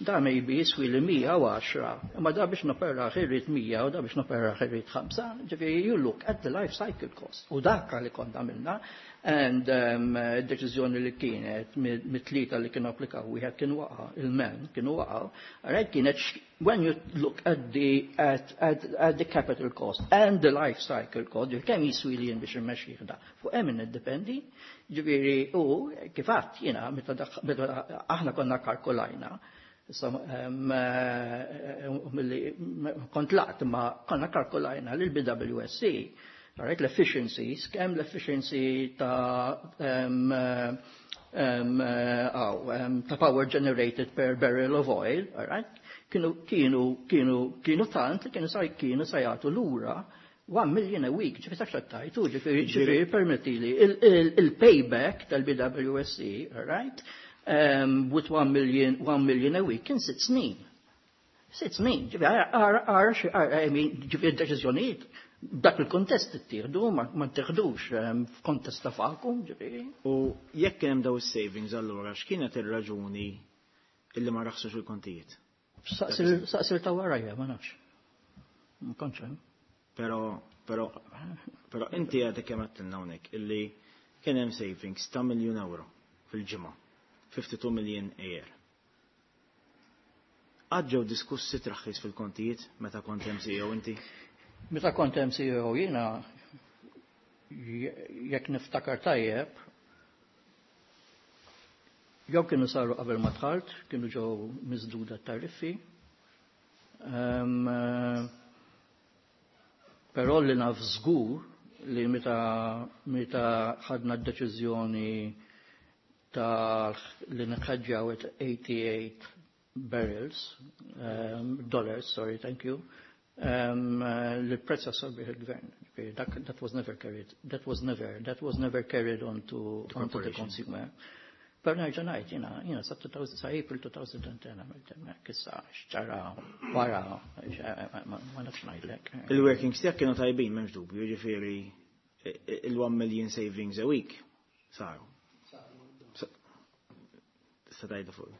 Speaker 5: da maybe jiswi li mija u għaxra, imma da biex nopera irrid mija u da biex nopera irrid ħamsa, ġifieri you look at the life cycle cost. U dak li konna għamilna, and um, deċiżjoni li kienet mit-tlieta li kienu applikaw, wieħed kien waqa', il-men kienu waqgħu, right, kienet when you look at the, at, at, at the capital cost and the life cycle cost, kemm jiswi li jien biex immexxih da, fuq hemm iddependi, ġifieri u kif għedt jiena meta aħna konna kalkulajna. Issa kont laqt ma konna kalkulajna lil B W S C, right, l-efficiencies, kemm l-efficiency ta' um, um, oh, um, ta' power generated per barrel of oil, all right, kienu kienu kienu kienu tant li kienu sa kienu sa jagħtu lura one million a week, ġifieri tafx tajtu, ġifieri ġifieri permettili, il-payback tal-B W S C, all right, um, with one million, one million a week kien sitt snin. Sitt snin, ġifieri, għara, I mean, ġifieri deċiżjonijiet, dak il-kontest ittieħdu, ma ttieħdux f'kontest ta' vacuum, ġifieri.
Speaker 3: U jekk hemm daw is-savings allura, x'kienet ir-raġuni illi ma raħsux il-kontijiet?
Speaker 5: Saqsir ta' warajja, ma nafx. Ma kontx hemm.
Speaker 3: Però, però, però inti għadek kemm għedtilna hawnhekk illi kien hemm savings ta' miljun euro fil-ġimgħa, fifty-two million a year. Qatt ġew diskussi traħħis fil-kontijiet meta kont hemm C E O inti?
Speaker 5: Meta kont hemm C E O jiena, jekk niftakar tajjeb, jew kienu saru qabel ma dħalt, kienu ġew miżduda tariffi. Um, però li naf żgur li meta meta ħadna d-deċiżjoni ta' li nħedġjaw at eighty-eight barrels, um, dollars, sorry, thank you, um, li prezz assorbih il-gvern. That, that was never carried, that was never, that was never carried on to, on to the consumer. Per nerġa' ngħid, jiena, jiena sa two thousand, sa April twenty ten għamilt hemmhekk, issa x'ġara wara, ma nafx ngħidlek.
Speaker 3: Il-workings tiegħek kienu tajbin, m'hemmx dubju, jiġifieri il-one million savings a week saru. Tista' tgħidha fuq.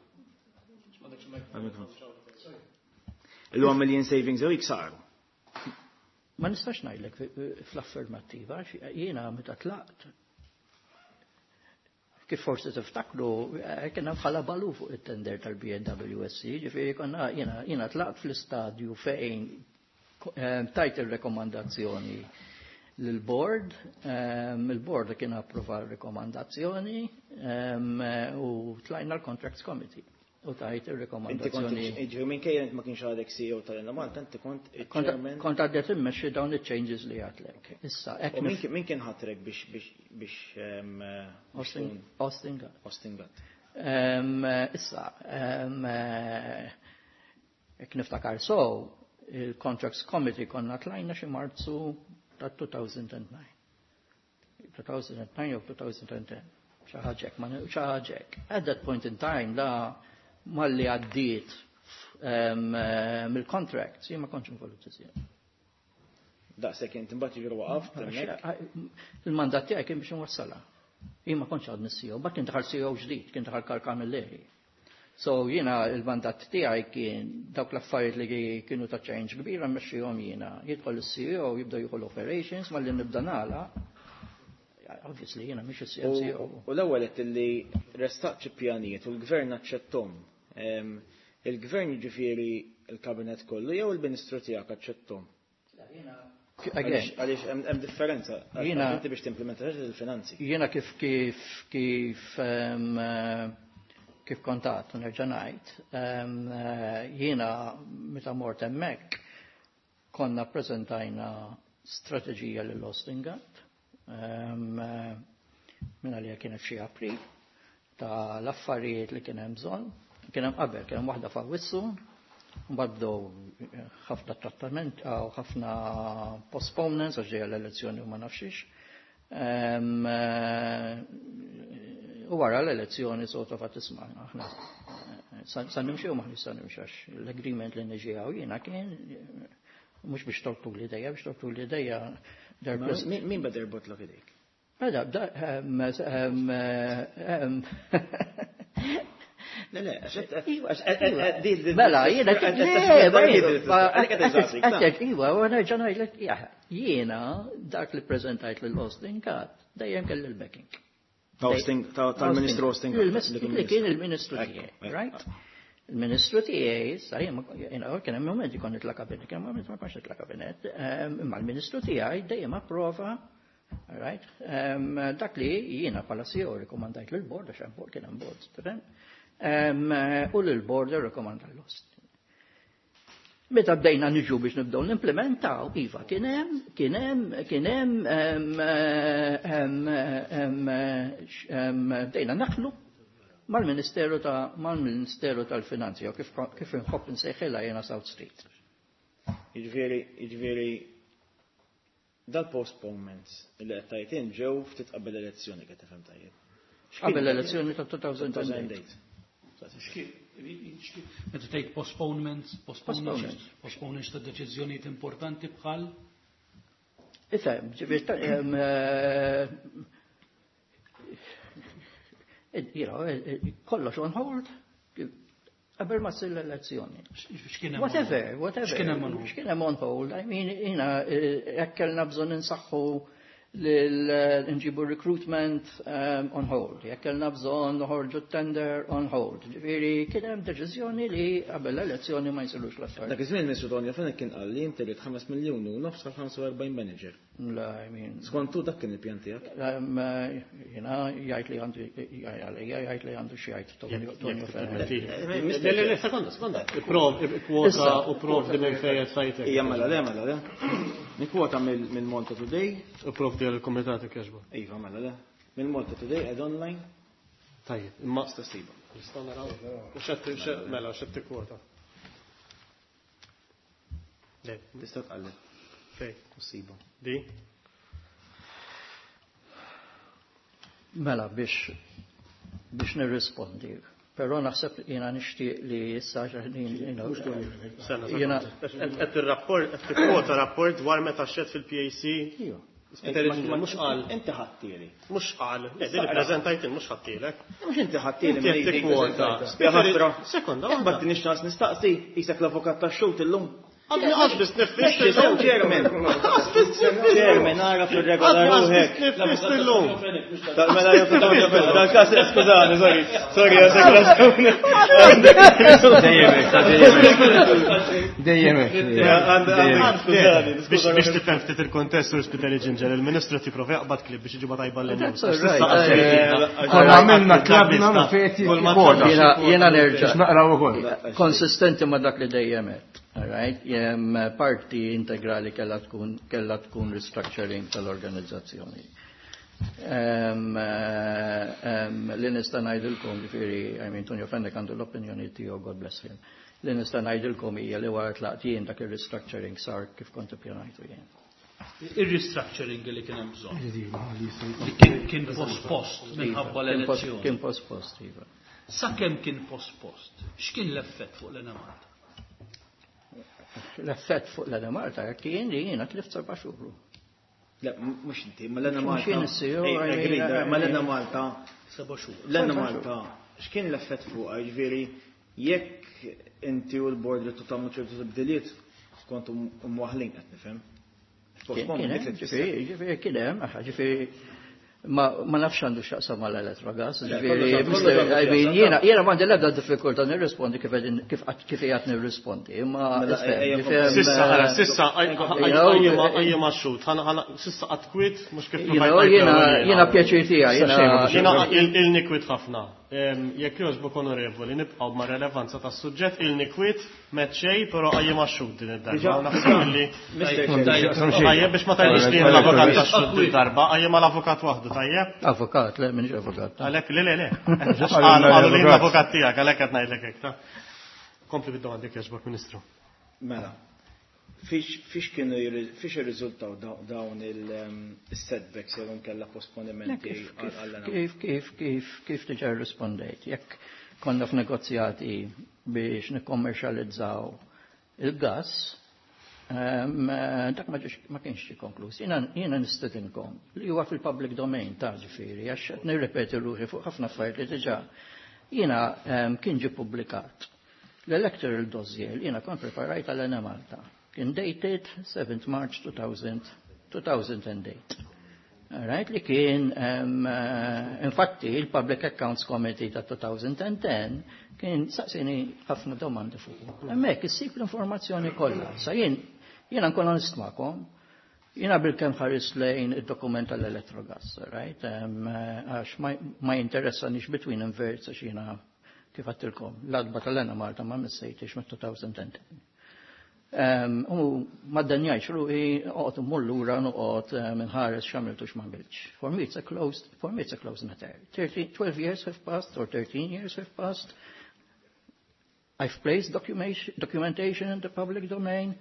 Speaker 3: Il-one million savings a week saru.
Speaker 5: Ma nistax ngħidlek fl-affermattiva, jiena meta tlaqt, kif forsi tiftakru, kien hemm ħalabalu fuq it-tender tal-B W S C, ġifieri konna jiena jiena tlaqt fl-istadju fejn tajt il-rekomandazzjoni l-board, il-board kien approva l-rekomandazzjoni u tlajna l-Contracts Committee u tajt il-rekomandazzjoni.
Speaker 3: Ġifieri minkejja ma kienx għadek C E O tal-Enemalta, inti kont
Speaker 5: il-chairman. Kont għaddet immexxi dawn il-changes li għedtlek. Issa,
Speaker 3: Min kien ħatrek biex biex biex
Speaker 5: Austin Austin Gatt.
Speaker 3: Austin Gatt.
Speaker 5: Issa, jekk niftakar so, il-Contracts Committee konna tlajna xi Marzu ta' two thousand nine. two thousand nine jew twenty ten. Xi ħaġa hekk, xi ħaġa hekk. At that point in time, la malli għaddiet mill-contract, jien ma kontx involut iżjed.
Speaker 3: Daqshekk inti mbagħad jiġri waqaft hemmhekk.
Speaker 5: Il-mandat tiegħi kien biex nwassalha. Jien ma kontx għadni C E O, but kien daħal C E O ġdid, kien daħal Karl Camilleri. So jiena il-mandat tiegħi kien dawk l-affarijiet li kienu ta' change kbira mmexxihom jiena. Jidħol is-C E O, jibda jieħu operations, malli nibda nagħlaq. Obviously jiena mhix is-C E O.
Speaker 3: U l-ewwel qed li ressaqt xi pjanijiet u l-gvern aċċettom. Il-gvern, jiġifieri il-kabinet kollu, jew il-ministru tiegħek aċċettom? Għaliex hemm differenza.
Speaker 5: Jiena
Speaker 3: Inti biex timplementa il-finanzi.
Speaker 5: Jiena kif kif kif kif kont għedt u nerġa' ngħid, jiena meta mort hemmhekk konna ppreżentajna strateġija lil Austin Gatt minn għalija kienet xi April ta' l-affarijiet li kien hemm bżonn. Kien hemm qabel, kien hemm waħda f'Awwissu, mbagħad bdew ħafna trattament u ħafna postponements għax ġejja l-elezzjoni u ma nafxiex. U wara l-elezzjoni sort of għat isma' aħna sa nimxi u maħni sa nimxi għax l-agreement li niġi hawn jiena kien mhux biex torbtu l-idejja, biex torbtu l-idejja.
Speaker 3: Min beda jirbotlok idejk?
Speaker 5: Beda,
Speaker 3: Le, le,
Speaker 5: Mela, jiena, iwa, u nerġa' ngħidlek, jiena dak li preżentajt lil Austin Gatt dejjem kelli l-backing.
Speaker 3: Tal-Ministru Austin
Speaker 5: Gatt. Li kien il-Ministru tiegħi, right? Il-Ministru tiegħi, sa jiena kien hemm momenti kont nitla' kabinet, kien hemm momenti ma kontx nitla' kabinet, imma l-Ministru tiegħi dejjem approva. Right? Dak li jiena bħala C E O rekomandajt lill-board, għax hemm board kien hemm board, tifhem? U lill-board irrekomanda l-Austin. Meta bdejna niġu biex nibdew nimplementaw, iva, kien hemm, kien hemm, kien hemm, bdejna naħlu mal-Ministeru ta' mal-Ministeru tal-Finanzi, jew kif kif inħobb insejħilha jiena South Street.
Speaker 3: Jiġifieri, jiġifieri dal-postponements li qed tgħid int ġew ftit qabel l-elezzjoni qed tifhem tajjeb.
Speaker 5: Qabel l-elezzjoni ta' two thousand and eight.
Speaker 4: Meta tgħid postponements, postponements, postponements ta' deċiżjonijiet importanti bħal?
Speaker 5: Ifhem, ġifieri, you know, kollox on hold qabel ma ssir l-elezzjoni.
Speaker 4: X'kien hemm?
Speaker 5: Whatever, whatever.
Speaker 4: X'kien hemm on hold?
Speaker 5: X'kien hemm on hold? I mean, jiena, jekk kellna bżonn insaħħu l-nġibu recruitment um, on hold, jekk kellna bżonn noħorġu tender on hold. Ġifieri kien hemm deċiżjoni li qabel l-elezzjoni ma jsirux l-affarijiet.
Speaker 3: Dak iż-żmien Ministru Tonio Fenech kien qal li inti rid ħames miljuni u nofs għal ħamsa u erbgħin manager.
Speaker 5: La, I mean.
Speaker 3: Skont tu dak kien il-pjan tiegħek?
Speaker 5: Jiena jgħid li għandu jgħid jgħid li għandu xi jgħid Tonio Fenech.
Speaker 2: Le, le, le, sekonda, sekonda. Prov, kwota u prov di minn fejn qed sajtek.
Speaker 3: Ija, mela, le, mela, le. Nikkwota mill Malta Today.
Speaker 2: U prov di l-komitat kieġba.
Speaker 3: Iva, mela, le. Mill Malta Today ed online.
Speaker 2: Tajjeb, imma
Speaker 3: Tista' ssiba.
Speaker 2: Nistgħu naraw. U x'qed x'qed mela, x'qed tikkwota. Le.
Speaker 3: Tista' tqalleb.
Speaker 2: Fej.
Speaker 3: U ssiba.
Speaker 2: Di?
Speaker 5: Mela, biex, biex nirrispondi. Però naħseb jiena nixtieq li issa
Speaker 2: jiena qed ir-rapport qed tikkwota rapport dwar meta xed fil-P A C.
Speaker 5: Iva.
Speaker 2: Mhux qal.
Speaker 3: Inti ħadtieli.
Speaker 2: Mhux qal. Le, din ippreżentajt mhux ħadtielek.
Speaker 3: Mhux inti ħadtieli
Speaker 2: Inti qed tikkwota.
Speaker 3: Ħasra.
Speaker 2: Sekonda,
Speaker 3: waħda. Imbagħad tinix ċans nistaqsi qisek l-avukat tax-xhud illum.
Speaker 2: Għadni għax biss nifist illum.
Speaker 3: Chairman.
Speaker 2: Għax biss nifist.
Speaker 3: Chairman, ara fil-regola ruħek.
Speaker 2: Għax biss nifist illum.
Speaker 3: Mela, jew dal-każ, skużani, sorry. Sorry, għasek raġuni.
Speaker 6: Dejjem hekk, dejjem hekk. Dejjem hekk.
Speaker 3: Skużani,
Speaker 2: Biex biex tifhem ftit il-kontest u Spiteri Ġinġer, il-Ministru tipprova jaqbad klib biex iġibha tajba lil
Speaker 5: That's
Speaker 2: nies.
Speaker 5: all right.
Speaker 6: Konna għamilna klabna u fejn jikkwota.
Speaker 5: Jiena nerġa'.
Speaker 6: Biex naqraw ukoll.
Speaker 5: Konsistenti ma' dak li dejjem għedt. All right, jem parti integrali kella tkun, kella tkun restructuring tal-organizzazzjoni. Em, em, li nista' ngħidilkom, ġifieri, I mean, Tonio Fenech għandu l-opinjoni tiegħu, God bless him. Li nista' ngħidilkom hija li wara tlaqt jien dak ir-restructuring sar kif kont ippjanajtu jien.
Speaker 4: Ir-restructuring li kien hemm bżonn. Li kien, kien pospost minħabba l-elezzjoni.
Speaker 5: Kien pospost, iva.
Speaker 4: Sakemm kien pospost, x'kien l-effett fuq l-Enemalta?
Speaker 5: L-effett fuq l-Enemalta kien li jiena tlift seba' xhur.
Speaker 3: Le, mhux inti, ma l-Enemalta.
Speaker 5: Mhux jien is-C E O,
Speaker 3: Ej,
Speaker 5: I mean,
Speaker 3: agreed,
Speaker 5: I
Speaker 3: ma
Speaker 5: mean.
Speaker 3: l-Enemalta.
Speaker 4: Seba' xhur.
Speaker 3: L-Enemalta, x'kien l-effett fuqha? Jiġifieri, jekk inti u l-board li tagħmlu ċertu tibdiliet, kontu mwaħlin qed nifhem.
Speaker 5: Kien hemm, ġifieri, ġifieri, kien hemm, aħ, ġifieri, Ma ma nafx għandu x'jaqsam mal-Electrogas, ġifieri, I mean, jiena jiena m'għandi l-ebda diffikultà nirrispondi kif qegħdin kif kif qiegħed nirrispondi, imma
Speaker 2: Mela, Sissa, ħara, sissa, għajja ma xut, sissa għatkwit, mux kif
Speaker 5: jiena jiena pjaċir tiegħi, jiena
Speaker 2: Jiena il-nikwit ħafna. Jekk jogħġbok onorevoli, nibqgħu ma' relevanza tas-suġġett, il-nikwit meċċej, però għajja ma xut din id-darba. Naħseb li Tajjeb biex ma tgħidix li l-avukat tax-xhud din darba, għajja ma l-avukat waħdu, tajjeb?
Speaker 5: Avukat, le, minix avukat.
Speaker 2: Għalhekk le le le. Qalu li l-avukat tiegħek, għalhekk qed ngħidlek hekk, ta' Kompli bid-domandi jogħġbok, Ministru.
Speaker 3: Mela, fiex fiex kienu fiex irriżultaw dawn il-setbacks jew inkella posponimenti
Speaker 5: għall Kif kif kif kif diġà rrispondejt, jekk konna f'negozjati biex nikkommerċjalizzaw il-gas, dak ma ġiex ma kienx ġie konkluż. Jiena jiena nistedinkom li huwa fil-public domain ta' ġifieri għax qed nirrepeti ruħi fuq ħafna affarijiet li diġà jiena kien ġie ppubblikat. L-electoral dossier li jiena kont preparajt għal Enemalta kien dated seventh March two thousand eight. Right, li kien, um, uh, infatti, il-Public Accounts Committee ta' twenty ten kien saqsini ħafna domandi fuq. Hemmhekk issib l-informazzjoni kollha. Sa jien, jiena nkun onest magħkom, jiena bil-kemm ħares lejn id-dokument tal-Electrogas, right? Um, għax ma, ma jinteressanix between inverts għax jiena kif għedtilkom, l-għatba tal-Enemalta ma missejtix mit-twenty ten. Um, u ma ddanjajtx ruħi noqgħod immur lura noqgħod minħares x'għamiltu x'ma għamiltx. For me it's a closed, for me it's a closed matter. thirteen, twelve years have passed or thirteen years have passed. I've placed documentation in the public domain.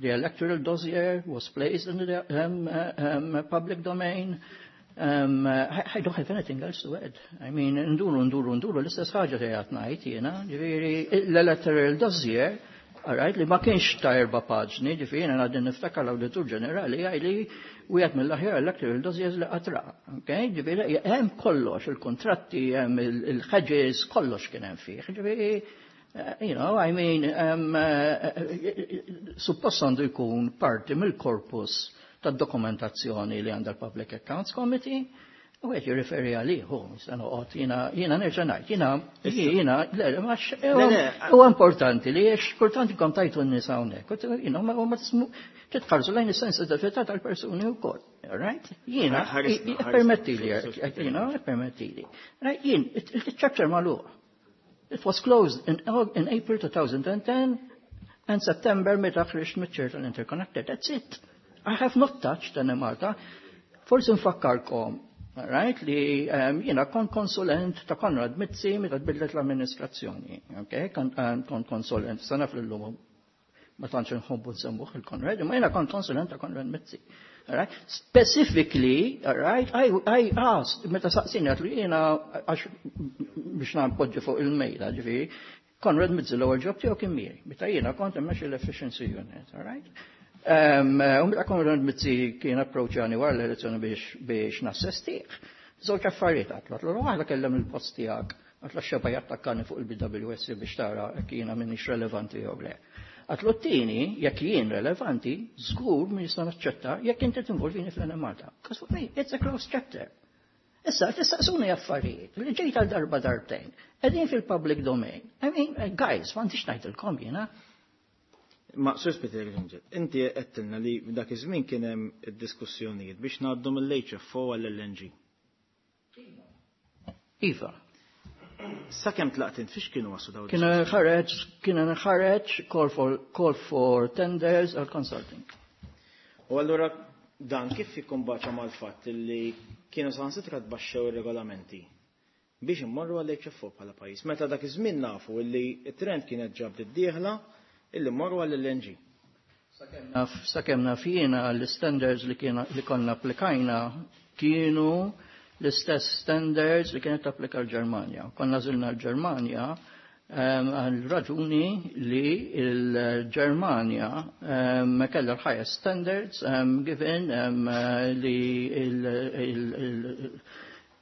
Speaker 5: The electoral dossier was placed in the um, uh, um, public domain. Um, I, I don't have anything else to add. I mean, nduru, nduru, nduru, l-istess ħaġa li qed ngħid jiena, ġifieri l-electoral dossier, all right, li ma kienx ta' erba' paġni, ġifieri jiena għadni niftakar l-Awditur Ġenerali għaj li wieħed mill-aħjar electoral dossiers li qatt ra. Okay? Ġifieri hemm kollox, il-kontratti, hemm il-hedges, kollox kien hemm fih. Ġifieri, you know, I mean, um, uh, suppost għandu jkun parti mill-korpus tad-dokumentazzjoni li għandha l-Public Accounts Committee, u għet jirriferi għalih, hu, nista' noqgħod, jiena jiena nerġa' ngħid, jiena jiena le, ma huwa importanti li għax kultant ikom tajtu n-nies hawnhekk, jiena ma ma titħarsu lejn is-sensitività tal-persuni wkoll, right? Jiena permettili, jiena permettili. Right, jien il-chapter magħluq. It was closed in, in April twenty ten and September meta ħriġt miċ-chair tal-Interconnector. That's it. I have not touched Enemalta. Forsi nfakkarkom, right, li um, jiena kont konsulent ta' Konrad Mizzi meta tbidlet l-amministrazzjoni. Okay? Kont um, kont konsulent, sana fl-lum ma tantx nħobbu nsemmuh il-Konrad, imma jiena kont konsulent ta' Konrad Mizzi. All right? Specifically, all right, I, I asked, meta saqsini għedtlu jiena għax biex npoġġi fuq il-mejda, ġifieri, Konrad Mizzi l-ewwel job tiegħu kien miegħi, meta jiena kont immexxi l-efficiency unit, all right? Um, u meta Konrad Mizzi kien approachjani wara l-elezzjoni biex biex nassistih. Żewġ affarijiet għedtlu, għedtlu waħda kellem il-post tiegħek, għedtlu xeba jattakkani fuq il-B W S biex tara jekk jiena minix relevanti jew le. Għedtlu t-tieni, jekk jien relevanti, żgur min nista' naċċetta jekk inti tinvolvini fl-Enemalta. Because for me, it's a closed chapter. Issa, tistaqsuni affarijiet li ġejt għal darba darbtejn, qegħdin fil-public domain. I mean, guys, m'għandix ngħidilkom jiena.
Speaker 3: Ma Sur Spiteri Granġel, inti għedtilna li dak iż-żmien kien hemm id-diskussjonijiet biex ngħaddu mill-H F O għall-L N G.
Speaker 5: Iva.
Speaker 3: Sakemm tlaqt int fiex kienu waslu dawn
Speaker 5: Kien ħareġ, kien ħareġ call for, call for tenders or consulting.
Speaker 3: U allura dan kif jikkombaċa mal-fatt li kienu saħansitra tbaxxew ir-regolamenti biex immorru għall-H F O bħala pajjiż? Meta dak iż-żmien nafu li t-trend kienet ġab d-dieħla illi mmorru għall-L N G.
Speaker 5: Sakemm naf jiena l-standards li kiena li konna applikajna kienu l-istess standards li kienet applika l-Ġermanja. Konna għażilna l-Ġermanja għal raġuni li l-Ġermanja kellha l-highest standards um, given um, li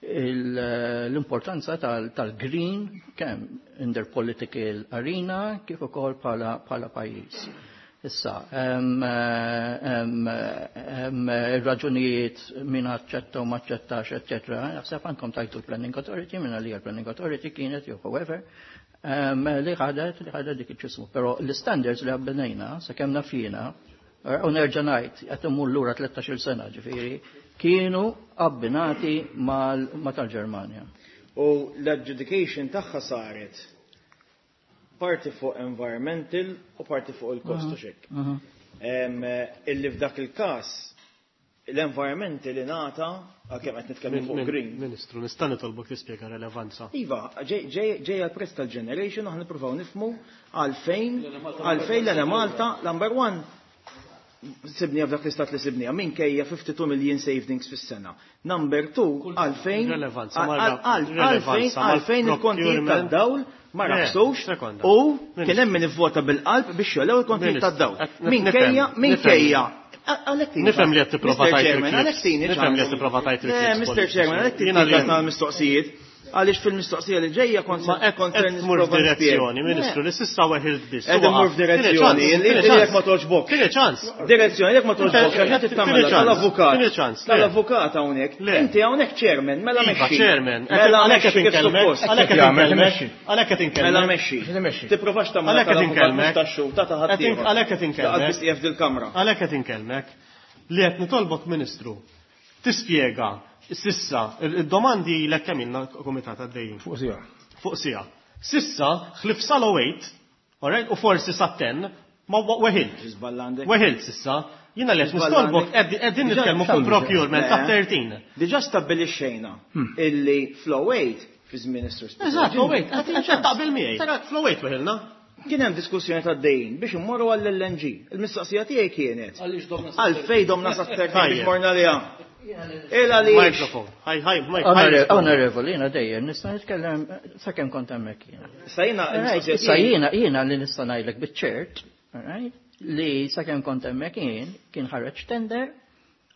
Speaker 5: l-importanza tal-green kemm in their political arena kif ukoll bħala pajjiż. Issa, ir-raġunijiet min aċċetta u ma aċċettax, eċċetera, naħseb għandkom tajtu l-Planning Authority, minna li l-Planning Authority kienet jew however, li ħadet li ħadet dik iċ-ċismu. Però l-standards li għabbinejna, sakemm naf jiena, u nerġa' ngħid qed immur lura tlettax-il sena ġifieri, kienu abbinati ma' tal-Ġermanja.
Speaker 3: U l-adjudication tagħha saret parti fuq environmental u parti fuq il-kost u xek. Illi f'dak il-kas l-environmental ingħata għalkemm qed nitkellmu fuq green.
Speaker 2: Ministru, nista' nitolbok tispjega relevanza.
Speaker 3: Iva, ġej għal-prezz tal-generation aħna nippruvaw nifhmu għalfejn għalfejn l-Enemalta number one sibnija f'dak l-istat li sibnija minkejja fifty-two million savings fis-sena. Number two, għalfejn għalfejn għalfejn il-kontijiet tad-dawl ma raqsux u kien hemm min ivvota bil-qalb biex jolew il-kontijiet tad-dawl. Minkejja minkejja
Speaker 2: Nifhem li qed tipprova tajt il-klips. Nifhem li qed tipprova tajt il-klips.
Speaker 3: Mister Chairman, għalhekk tieni mistoqsijiet. Għaliex fil-mistoqsija li ġejja kont
Speaker 2: kont tmur f'direzzjoni, Ministru, li s'issa weħilt biss.
Speaker 3: Qed immur f'direzzjoni, li jekk ma toġbok.
Speaker 2: Tieni ċans.
Speaker 3: Direzzjoni jekk ma toġbok, għax qed tagħmel tal-avukat.
Speaker 2: Tieni ċans.
Speaker 3: Tal-avukat hawnhekk. Inti hawnhekk chairman, mela mexxi.
Speaker 2: Chairman.
Speaker 3: Mela
Speaker 2: għalhekk qed inkellmek. Għalhekk qed inkellmek. Għalhekk qed inkellmek.
Speaker 3: Mela mexxi. Tipprovax tagħmel
Speaker 2: tal-avukat
Speaker 3: tax-xhur ta' ħadd.
Speaker 2: Għalhekk qed inkellmek.
Speaker 3: Biss qiegħed fil-kamra.
Speaker 2: Għalhekk qed inkellmek li qed nitolbok, Ministru, tispjega sissa, il-domandi l kemm ilna komitat għaddejjin.
Speaker 6: Fuq sija.
Speaker 2: Fuq sija. Sissa, ħlif sal eight, alright, u forsi sa ten, ma weħilt. Weħilt sissa. Jina li qed nistolbok qegħdin nitkellmu fuq procurement ta' thirteen.
Speaker 3: Diġà stabbilixxejna illi flow eight fi żmien is-sur.
Speaker 2: Eżatt, flow eight, qed taqbel miegħi. Flow eight weħilna.
Speaker 3: Kien hemm diskussjoni ta' dejn biex immorru għall-L N G. Il-mistoqsija tiegħi kienet. Għalfejn domna sa thirteen biex morna liha.
Speaker 2: Microphone. Hi, hi, Mike.
Speaker 5: Onorevoli, jiena dejjem nista' nitkellem sakemm kont hemmhekk jiena.
Speaker 3: Sa jiena
Speaker 5: sa jiena jiena li nista' ngħidlek biċ-ċert, alright, li sakemm kont hemmhekk jien kien ħareġ tender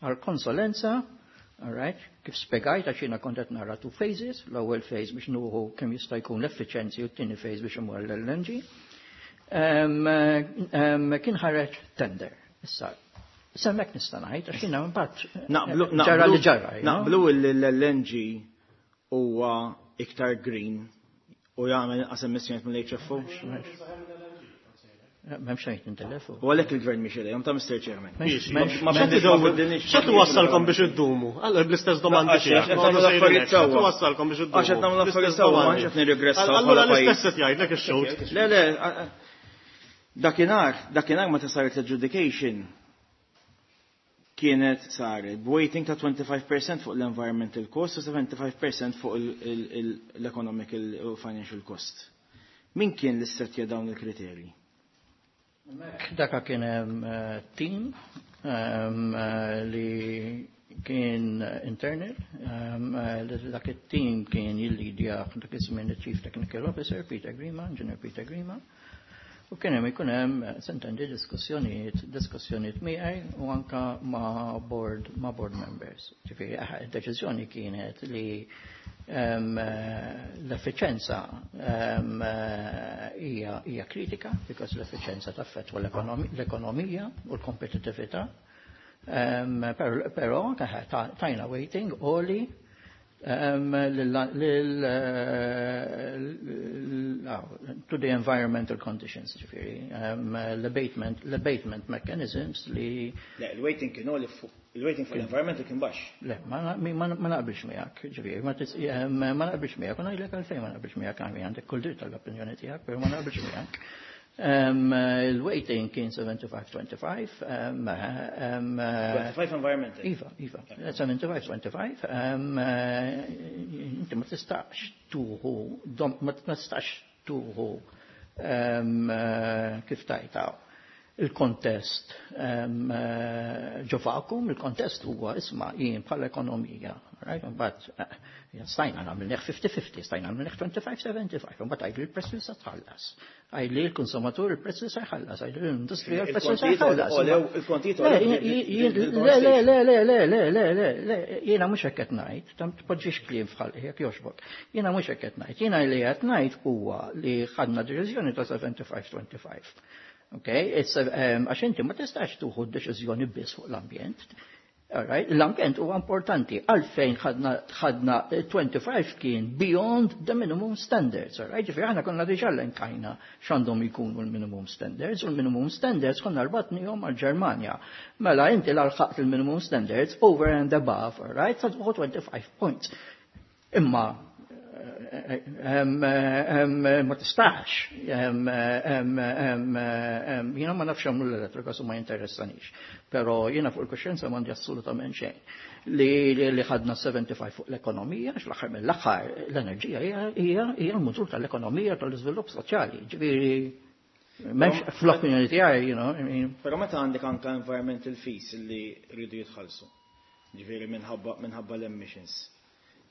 Speaker 5: għal konsulenza, alright, kif spjegajt għax jiena kont qed nara two phases, l-ewwel phase biex nuħu kemm jista' jkun l-effiċenzi u t-tieni phase biex imur l-L N G. Kien ħareġ tender. Issa, semmek nista' ngħid għax jiena mbagħad ġara li ġara.
Speaker 3: Naqblu l-L N G huwa iktar green u jagħmel inqas emissjonijiet mill-H F O.
Speaker 5: M'hemmx xejn tintelef.
Speaker 3: U għalhekk il-gvern mhix ilejhom ta' Mister Chairman.
Speaker 2: X'qed wassalkom biex iddumu? Allura bl-istess domandi tiegħek.
Speaker 3: X'qed
Speaker 2: wassalkom biex iddumu?
Speaker 3: Għax qed nagħmlu affarijiet sewwa, m'għandx qed nirrigressaw.
Speaker 2: Allura l-istess qed jgħidlek ix-xhud.
Speaker 3: Le, le, dakinhar, dakinhar meta saret l-adjudication kienet saret b'weighting ta' twenty-five percent fuq l-environmental cost u seventy-five percent fuq l-economic u financial cost. Min kien l-issetja dawn il-kriterji?
Speaker 5: Daka kien hemm team li kien internal, dak it-team kien jillidja dak iż-żmien il-Chief Technical Officer Peter Grima, Engineer Peter Grima. U kien hemm ikun hemm sentendi diskussjonijiet, diskussjonijiet miegħi u anka ma' board, ma' board members. Ġifieri id-deċiżjoni kienet li l-effiċenza hija hija kritika because l-effiċenza taffettwa l-ekonomija u l-kompetittività. Però tajna waiting oli to the environmental conditions, ġifieri, l-abatement, l-abatement mechanisms li.
Speaker 3: Le, l-waiting kienu li fuq, il-waiting fuq l-environmental kien baxx.
Speaker 5: Le, ma naqbilx miegħek, ġifieri, ma naqbilx miegħek, u ngħidlek għalfejn ma naqbilx miegħek, għandek kull dritt tal-opinjoni tiegħek, però ma naqbilx miegħek. Il-weighting kien seventy-five twenty-five.
Speaker 3: twenty-five environmental.
Speaker 5: Iva, iva. seventy-five twenty-five. Inti ma tistax tuħu, ma tistax tuħu kif tajtaw il-kontest ġo vakum, il-kontest huwa isma' jien bħala ekonomija. Right? Mbagħad stajna nagħmel fifty fifty, stajna nagħmel twenty-five seventy-five, mbagħad għidli l-prezz li se tħallas. Għidli l-konsumatur il-prezz li se jħallas, għidli l-industrija l-prezz li se jħallas.
Speaker 3: Il-kontijiet
Speaker 5: Le, le, le, le, le, le, le, le, le, jiena mhux hekk qed ngħid, tam tpoġġix kliem f'ħalqi jekk jogħġbok. Jiena mhux hekk qed ngħid, jiena li qed ngħid huwa li ħadna deċiżjoni ta' seventy-five twenty-five. Okay? It's a, um, għax inti ma tistax tieħu deċiżjoni biss fuq l-ambjent. Alright, l-ambjent huwa importanti. Għalfejn ħadna ħadna twenty-five kien beyond the minimum standards. Alright, ġifieri aħna konna diġà elenkajna x'għandhom jkunu l-minimum standards, u l-minimum standards konna rbatnihom għal-Ġermanja. Mela inti lħaqt il-minimum standards over and above, alright, sa tieħu twenty-five points. Imma ma tistax. Jiena ma nafx għamlu l-elettrika, su ma jinteressanix. Pero jiena fuq il-kuxjenza m'għandi assolutament xejn. Li li ħadna sebgħa u sebgħin fuq l-ekonomija, għax l-aħħar mill-aħħar l-enerġija hija l-mutur tal-ekonomija, tal-iżvilupp soċjali. Ġifieri m'hemmx fl-opinjoni tiegħi, you know, I mean.
Speaker 3: Però meta għandek anka environmental fees li rridu jitħallsu, ġifieri minħabba minħabba l-emissions.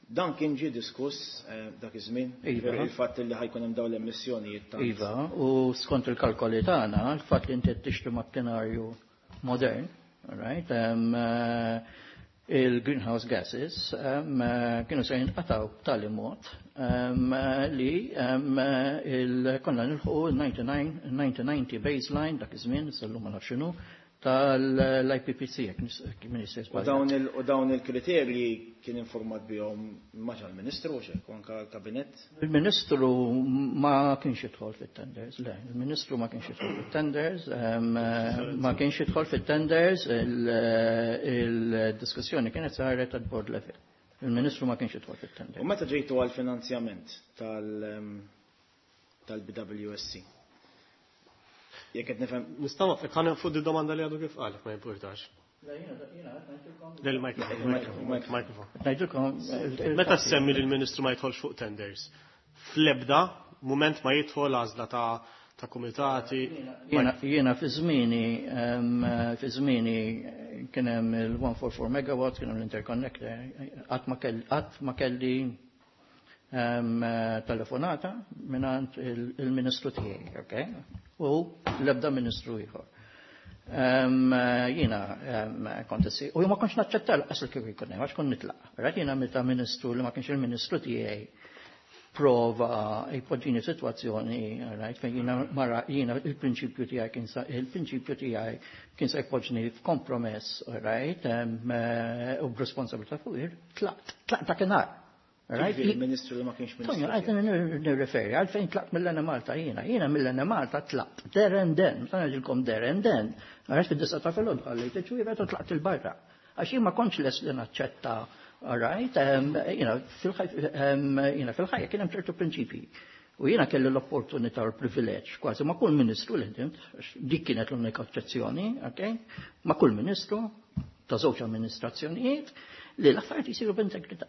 Speaker 3: Dan kien ġie diskuss eh, dak iż-żmien,
Speaker 5: Iva.
Speaker 3: il-fatt li ħa jkun hemm dawn l-emissjonijiet tant.
Speaker 5: Iva, u skont il-kalkoli tagħna, il-fatt li inti tixtri makkinarju modern, right, um, il-greenhouse gases um, kienu se jinqataw b'tali mod um, li um, il konna nilħu ninety baseline dak iż-żmien, sal-lum ma nafx x'inhu, tal-I P C C, jekk min jista'
Speaker 3: U dawn il- u dawn il-kriterji kien informat bihom maġa l-Ministru u xek, anka l-Kabinett?
Speaker 5: Il-Ministru ma kienx jidħol fit-tenders, le, il-Ministru ma kienx jidħol fit-tenders, em, ma kienx jidħol fit-tenders, il-diskussjoni kienet saret at board level. Il-Ministru ma kienx jidħol fit-tenders.
Speaker 3: U meta ġejtu għal-finanzjament tal- tal-B W S C? Jekk qed nifhem
Speaker 2: Nistgħu kan fuq di domanda li għadu kif qal, ma jimpurtax. Del-mikrofon.
Speaker 5: Ngħidilkom
Speaker 2: Meta semmi li l-Ministru ma jidħolx fuq tenders, fl-ebda moment ma jidħol għażla ta' ta' kumitati?
Speaker 5: Jiena jiena fi żmieni em, fi żmieni kien hemm il-mija u erbgħa u erbgħin megawatt, kien hemm l-interconnector, qatt ma kelli qatt ma kelli em, telefonata mingħand il- il-Ministru tiegħi, okay? U l-ebda ministru ieħor. Em, Jiena em, kont issi, u ma kontx naċċetta lanqas li kieku jkun hemm, għax kont nitlaq. Right? Jiena meta ministru li ma kienx il-ministru tiegħi prova jpoġġini situazzjoni, right, fejn jiena mara jiena il-prinċipju tiegħi kien sa il-prinċipju tiegħi kien se jpoġġni f'kompromess, right, em, eh, u b'responsabilità fuq ir, tlaqt, tlaqt dakinhar. Right?
Speaker 3: Ġifieri il-Ministru li ma kienx
Speaker 5: Tonio,
Speaker 3: Ministru.
Speaker 5: għajt nirreferi, għalfejn tlaqt mill-Enemalta jiena, jiena mill-Enemalta tlaqt, there and then, ta' ngħidilkom there and then, għax fid-disgħa ta' filgħodu ħallejt iċ-ċwievet u tlaqt il-barra. Għax jien ma kontx les li naċċetta, all right, um, you know, fil-ħajja fil-ħajja kien hemm ċertu prinċipji. U jiena kelli l-opportunità u l-privileġġ kważi ma' kull ministru li ħdimt, għax dik kienet l-unika eċċezzjoni, okay? Ma' kull ministru ta' żewġ amministrazzjonijiet li l-affarijiet jisiru b'integrità.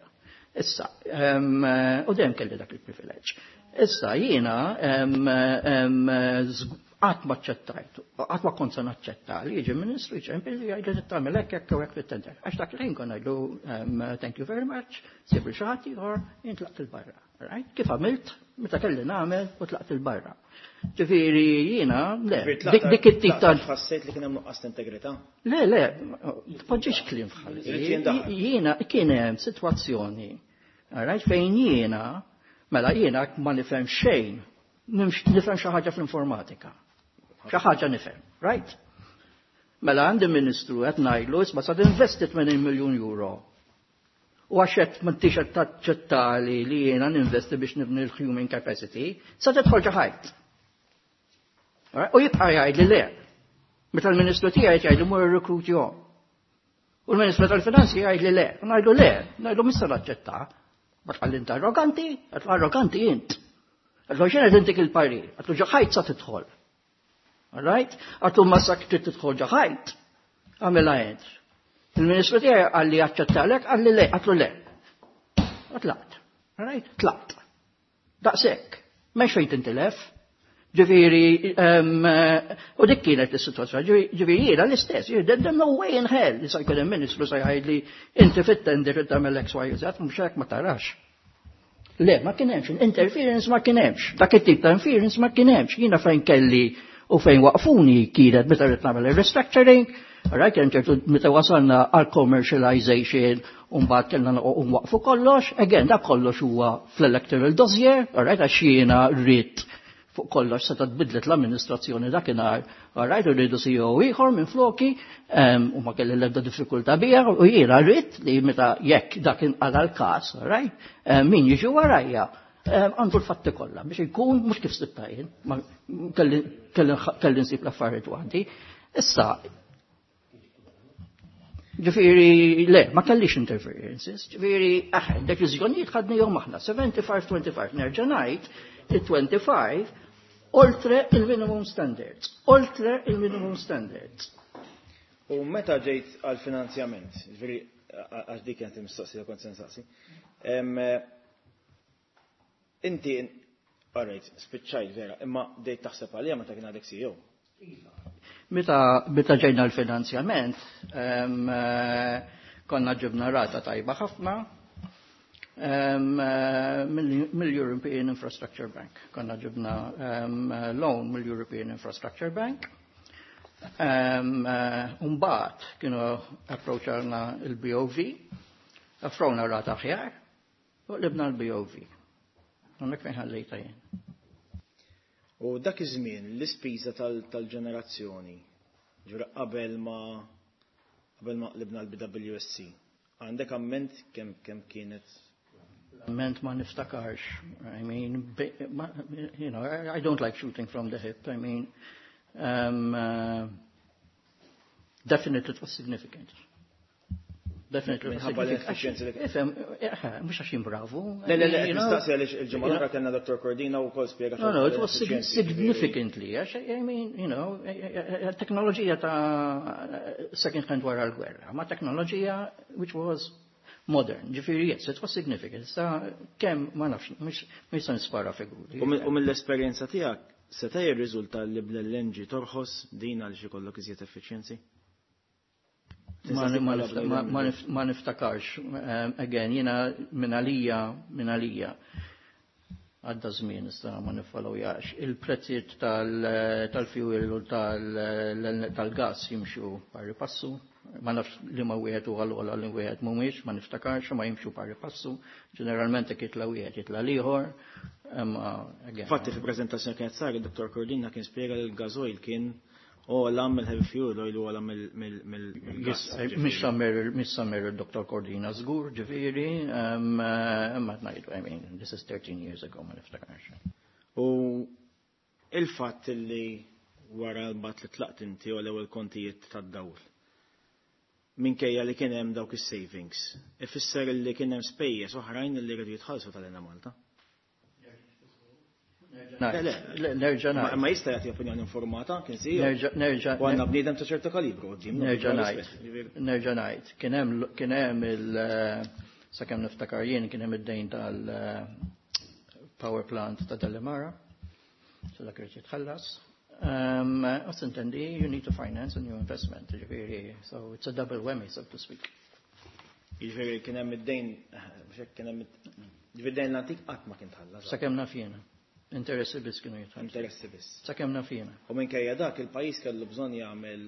Speaker 5: Issa, um, u dejjem kelli dak il-privileġġ. Issa jiena um, um, qatt ma aċċettajt, qatt ma kont se naċċetta li jiġi ministru jċempel li jgħid li tagħmel hekk hekk u hekk fit-tender. Għax dak il-ħin kont ngħidlu um, "Thank you very much, sib xi ħadd ieħor, jien tlaqt il-barra." Right? Kif għamilt, meta kelli nagħmel u tlaqt il-barra. Ġifieri jiena, le, dik dik it-tip ta'
Speaker 3: Ħassejt li kien hemm nuqqas ta' integrità?
Speaker 5: Le, le, tpoġġix kliem f'ħalqi.
Speaker 3: Irid jindaħal.
Speaker 5: Jiena kien hemm sitwazzjoni, alright, fejn jiena, mela jiena ma nifhem xejn, nimx- nifhem xi ħaġa fl-informatika. Xi ħaġa nifhem, right? Mela għandi ministru qed ngħidlu isma' sa tinvesti tmenin miljun euro. U għax qed m'intix qed taċċettali li jiena ninvesti biex nibni l-human capacity, sa tidħol ġo ħajt. Alright? U jibqa' jgħid li le. Meta l-ministru tiegħi jgħid li mur irrekrutjahom. U l-Ministru tal-Finanzi jgħid li le. U ngħidlu le, ngħidlu mhux se naċċetta. Ma tqalli inti arroganti, għedtlu arroganti int. Għedtlu xejn qed intik il-parir, għedtlu ġo ħajt sa tidħol. All right? Għedtlu ma sa trid tidħol ġo ħajt. Għamilha int. Il-Ministru tiegħi qalli aċċettalek, qalli le, għedtlu le. U tlaqt. All right? Tlaqt. Daqshekk. M'hemmx fejn tintilef. Ġifieri, um, u dik kienet is-sitwazzjoni, ġifieri jiena l-istess, there's no way in hell li sa jkun hemm ministru sa jgħid li inti fit-tender tagħmel X, Y, Z, mhux hekk, ma tarax. Le, ma kien hemmx, interference ma kien hemmx, dak it-tip ta' interference ma kien hemmx. Jiena fejn kelli u fejn waqfuni kienet meta rrid nagħmel il-restructuring, right, kien ċertu meta wasalna għal commercialization u mbagħad kellna nwaqfu kollox, again dak kollox huwa fl-electoral dossier, all right, għax jiena rrid Fuq kollox seta tbidlet l-amministrazzjoni dakinhar, rajt rridu C E O ieħor minn floki u ma kelli l-ebda diffikultà bija u jiena rrid li meta jekk dak inqala l-każ, right, min jiġi warajja għandu l-fatti kollha biex ikun mhux kif sibta jien, kelli nsib l-affarijiet waħdi. Issa, ġifieri, le, ma kellix interferences, ġifieri, aħ, deċiżjonijiet ħadnihom aħna, sebgħa u ħamsin twenty-five, nerġa' ngħid, il-twenty-five oltre il-minimum standards, oltre il-minimum standards.
Speaker 3: U meta ġejt għal-finanzjament, ġifieri, għax dik kienet il-mistoqsija kont se nsaqsi, inti, alright, spiċċajt vera, imma bdejt taħseb għalija meta kien għadek C E O.
Speaker 5: Meta, meta ġejna l-finanzjament, konna ġibna rata tajba ħafna mill-European Infrastructure Bank. Konna ġibna loan mill-European Infrastructure Bank. Umbagħad kienu approacharna il-B O V, offrewna rata aħjar, u qlibna l-B O V. Hemmhekk fejn ħallejta jien.
Speaker 3: U dak iż-żmien l-ispiża tal-ġenerazzjoni, ġura qabel ma qabel ma qlibna l-B W S C, għandek amment kemm kemm kienet?
Speaker 5: Amment ma niftakarx. I mean, you know, I don't like shooting from the hip. I mean, um, uh, definitely it was significant. Definitely.
Speaker 3: Minħabba l-efficiency li
Speaker 5: Ifhem, mhux għax bravu.
Speaker 3: Le, le, le, nistaqsi għaliex il-ġimgħa l-oħra kellna Dottor Cordina u wkoll spjega.
Speaker 5: No, no, it was significantly, għax, I mean, you know, teknoloġija ta' second hand wara l-gwerra, ma teknoloġija which was modern. Ġifieri, yes, it was significant. Sa kemm ma nafx, mhux se nispara figuri.
Speaker 3: U mill-esperjenza tiegħek, seta' jirriżulta li bl-L N G torħos din għal xi kollok iżjed efficiency?
Speaker 5: Ma niftakarx. Again, jiena minn għalija, minn għalija, għadda żmien issa ma niffollowjax. Il-prezzijiet tal-fuel u tal-gas jimxu pari passu. Ma nafx li ma wieħed u għal li wieħed mhumiex, ma niftakarx, ma jimxu pari passu. Ġeneralment jekk jitla wieħed jitla l-ieħor.
Speaker 3: Fatti fi prezentazzjoni kienet sar, il-Dottor Cordina kien spjega li l-gasoil kien ogħla mill-heavy fuel oil u ogħla mill-gas.
Speaker 5: Mhix sa mmur il-Dottor Cordina żgur, ġifieri, imma ngħidu, I mean, this is thirteen years ago, ma niftakarx.
Speaker 3: U il-fatt li wara l-bat li tlaqt inti u l-ewwel kontijiet tad-dawl, minkejja li kien hemm dawk is-savings, ifisser li kien hemm spejjeż oħrajn li rridu jitħallsu tal-Enemalta.
Speaker 5: Nerġa'
Speaker 3: Ma jista' jagħti opinjoni informata, kien si.
Speaker 5: Nerġa'
Speaker 3: U għandna bniedem ta' ċertu kalibru quddiem.
Speaker 5: Nerġa' ngħid. Nerġa' ngħid. Kien hemm kien hemm il sakemm niftakar jien kien hemm id-dejn tal-power plant ta' Delimara. So dak irid jitħallas. Um, Intendi, you need to finance a new investment, ġifieri, so it's a double whammy, so to speak.
Speaker 3: Ġifieri kien hemm id-dejn, kien hemm ġifieri dejn l-antik qatt ma kien tħallas.
Speaker 5: Sakemm naf jiena. Interessi biss kienu jitħallsu.
Speaker 3: Interessi biss.
Speaker 5: Sakemm naf jiena.
Speaker 3: U minkejja dak il-pajjiż kellu bżonn jagħmel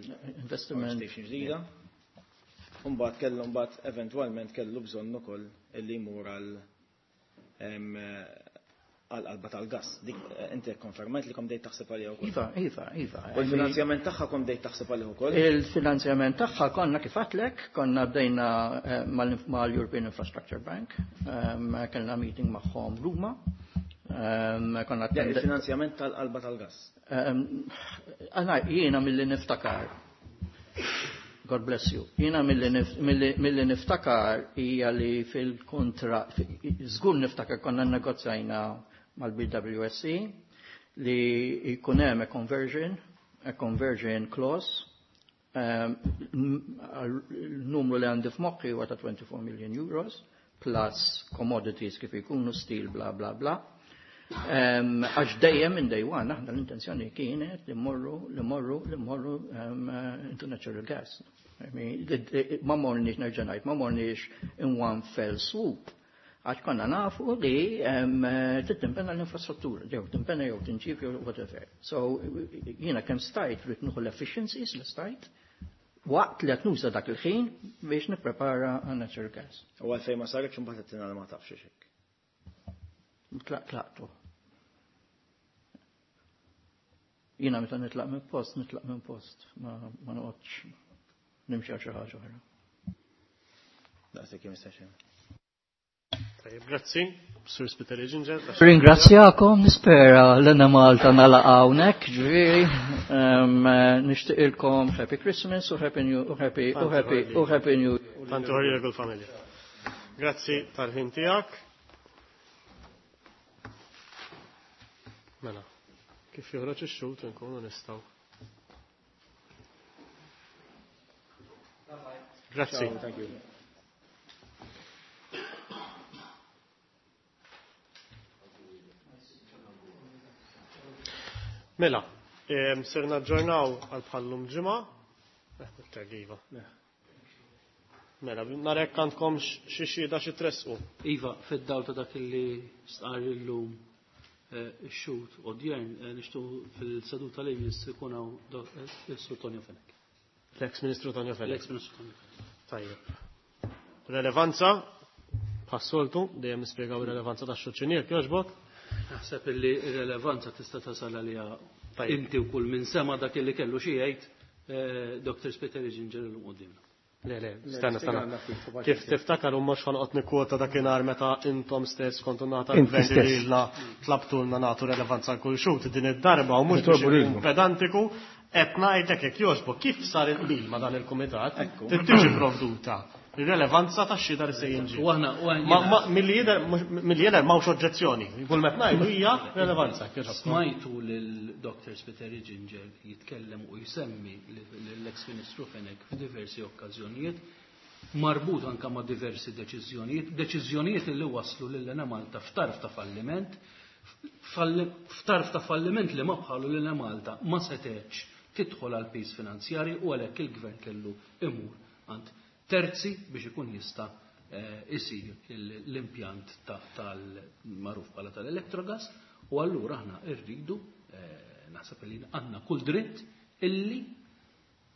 Speaker 5: investiment
Speaker 3: station ġdida. Mbagħad kellu mbagħad eventwalment kellu bżonn ukoll illi jmur għal għal-qalba tal-gas. Dik inti konfermajt li kom dejt taħseb għalija wkoll.
Speaker 5: Iva, iva, iva.
Speaker 3: U l-finanzjament tagħha kom dejt taħseb għalih ukoll?
Speaker 5: Il-finanzjament tagħha konna kif għedtlek, konna bdejna mal-European Infrastructure Bank, kellna meeting magħhom Ruma. Konna
Speaker 3: Il-finanzjament tal-qalba tal-gas.
Speaker 5: Għana, jiena milli niftakar. God bless you. Jiena milli niftakar hija li fil-kontra, żgur niftakar konna negozjajna mal-B W S C li jkun hemm a conversion, a conversion clause, um, numru li għandi f'moħħi huwa ta' twenty-four million euros plus commodities kif ikunu steel, bla bla bla. Għax dejjem minn day one aħna l-intenzjoni kienet li morru, li morru, li morru into natural gas. I mean, ma morniex, nerġa' ngħid, ma morniex in one fell swoop. Għax konna nafu li tittimpenna l-infrastruttura, jew timpenna jew tinġib jew whatever. So jiena kemm stajt rrid nieħu l-efficiencies li stajt waqt li qed nuża dak il-ħin biex nipprepara għal natural gas.
Speaker 3: U għalfejn ma saritx imbagħad qed ma tafx hekk.
Speaker 5: Tlaqtu. Jiena meta nitlaq minn post, nitlaq minn post, ma ma noqgħodx nimxi għal xi ħaġa oħra.
Speaker 3: Daqshekk Mister Chairman.
Speaker 2: Tajjeb, grazzi, Sur Spiteri Ginger.
Speaker 5: Ringrazzjakom, nispera l-Enemalta nagħlaq hawnhekk, ġifieri, nixtieqilkom Happy Christmas u Happy New u Happy u Happy u Happy New Year.
Speaker 2: Tantu ħorri l familja. Grazzi tal-ħin tiegħek. Mela, kif joħroġ ix-xut nkunu nistgħu. Grazzi.
Speaker 3: Ciao, thank you.
Speaker 2: Mela, em, ser naġġornaw għal bħallum ġimgħa. Eh, iktar iva. Mela, narek għandkom xi xhieda xi tressqu.
Speaker 4: Iva, fid-dawl ta' dak li stqarr illum eh, ix-xhud odjern eh, nixtiequ fil-seduta li jmiss ikun hawn do- eh, is-Sur Tonio Fenech.
Speaker 2: L-ex Ministru Tonio Fenech.
Speaker 4: L-ex Ministru Tonio Fenech.
Speaker 2: Tajjeb. Relevanza, bħas-soltu, dejjem nispjegaw ir-relevanza tax-xuċinier, jogħġbok?
Speaker 4: Naħseb illi r-relevanza tista' tasal għaliha
Speaker 2: Tajjeb.
Speaker 4: inti u kull min sema dak illi kellu xi jgħid eh, Doctor Spiteri Ginger illum quddiemna.
Speaker 2: Le, le, stanna, stanna. Kif tiftakar u mhux ħanqod nikkwota dakinhar meta intom stess kontu nagħta
Speaker 6: Inti
Speaker 2: l-gvern
Speaker 6: stess.
Speaker 2: li lilna tlabtulna nagħtu relevanza għal kull xhud din id-darba u mhux biex
Speaker 6: Nitolbu
Speaker 2: ikun
Speaker 6: lilkom.
Speaker 2: pedantiku qed ngħidlek jekk jogħġbok kif sar il-qbil ma' dan il-kumitat trid tiġi provduta ir-relevanza tax-xhieda li se jinġi.
Speaker 4: U aħna u aħna
Speaker 2: Ma, ma, milli jidher milli jidher m'hawnx oġġezzjoni. Kull meta ngħidu hija relevanza. Jekk jogħġobkom.
Speaker 4: Smajtu lil Doctor Spiteri Ginger jitkellem u jsemmi l-ex Ministru Fenech f'diversi okkażjonijiet marbut anka ma' diversi deċiżjonijiet, deċiżjonijiet li waslu lil Enemalta f'tarf ta' falliment, falli- f'tarf ta' falliment li ma bħalu lil Enemalta ma setgħetx tidħol għal piż finanzjari u għalhekk il-gvern kellu imur għand terzi biex ikun jista' eh, isir il- l-impjant ta- tal-magħruf bħala tal-Electrogas u allura aħna rridu eh, naħseb li għandna kull dritt illi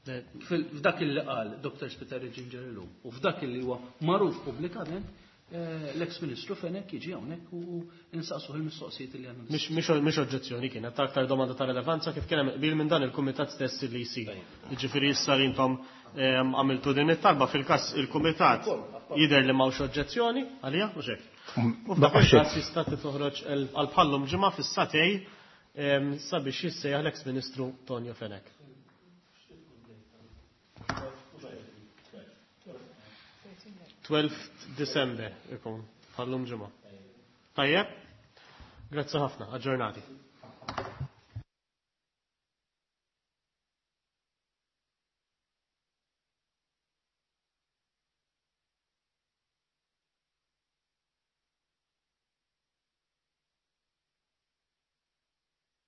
Speaker 4: fil- f'dak illi qal Doctor Spiteri Ginger illum u f'dak illi huwa magħruf pubblikament eh, l-ex Ministru Fenech jiġi hawnhekk u insaqsuh il-mistoqsijiet li għandna.
Speaker 2: Mhix mhix mhix oġġezzjoni kienet aktar domanda ta' relevanza kif kien hemm qbil minn dan il-kumitat stess li jsir. Jiġifieri issa li intom ehm, għamiltu din it-talba fil-każ il-kumitat jidher li m'hawnx oġġezzjoni għalija u xejn. U f'dak il-każ jista' toħroġ għal bħallum ġimgħa fis-satej ehm, sabiex jissejjaħ l-ex Ministru Tonio Fenech. twelfth December ikun bħallum ġimgħa. Tajjeb? Grazzi ħafna, aġġornati.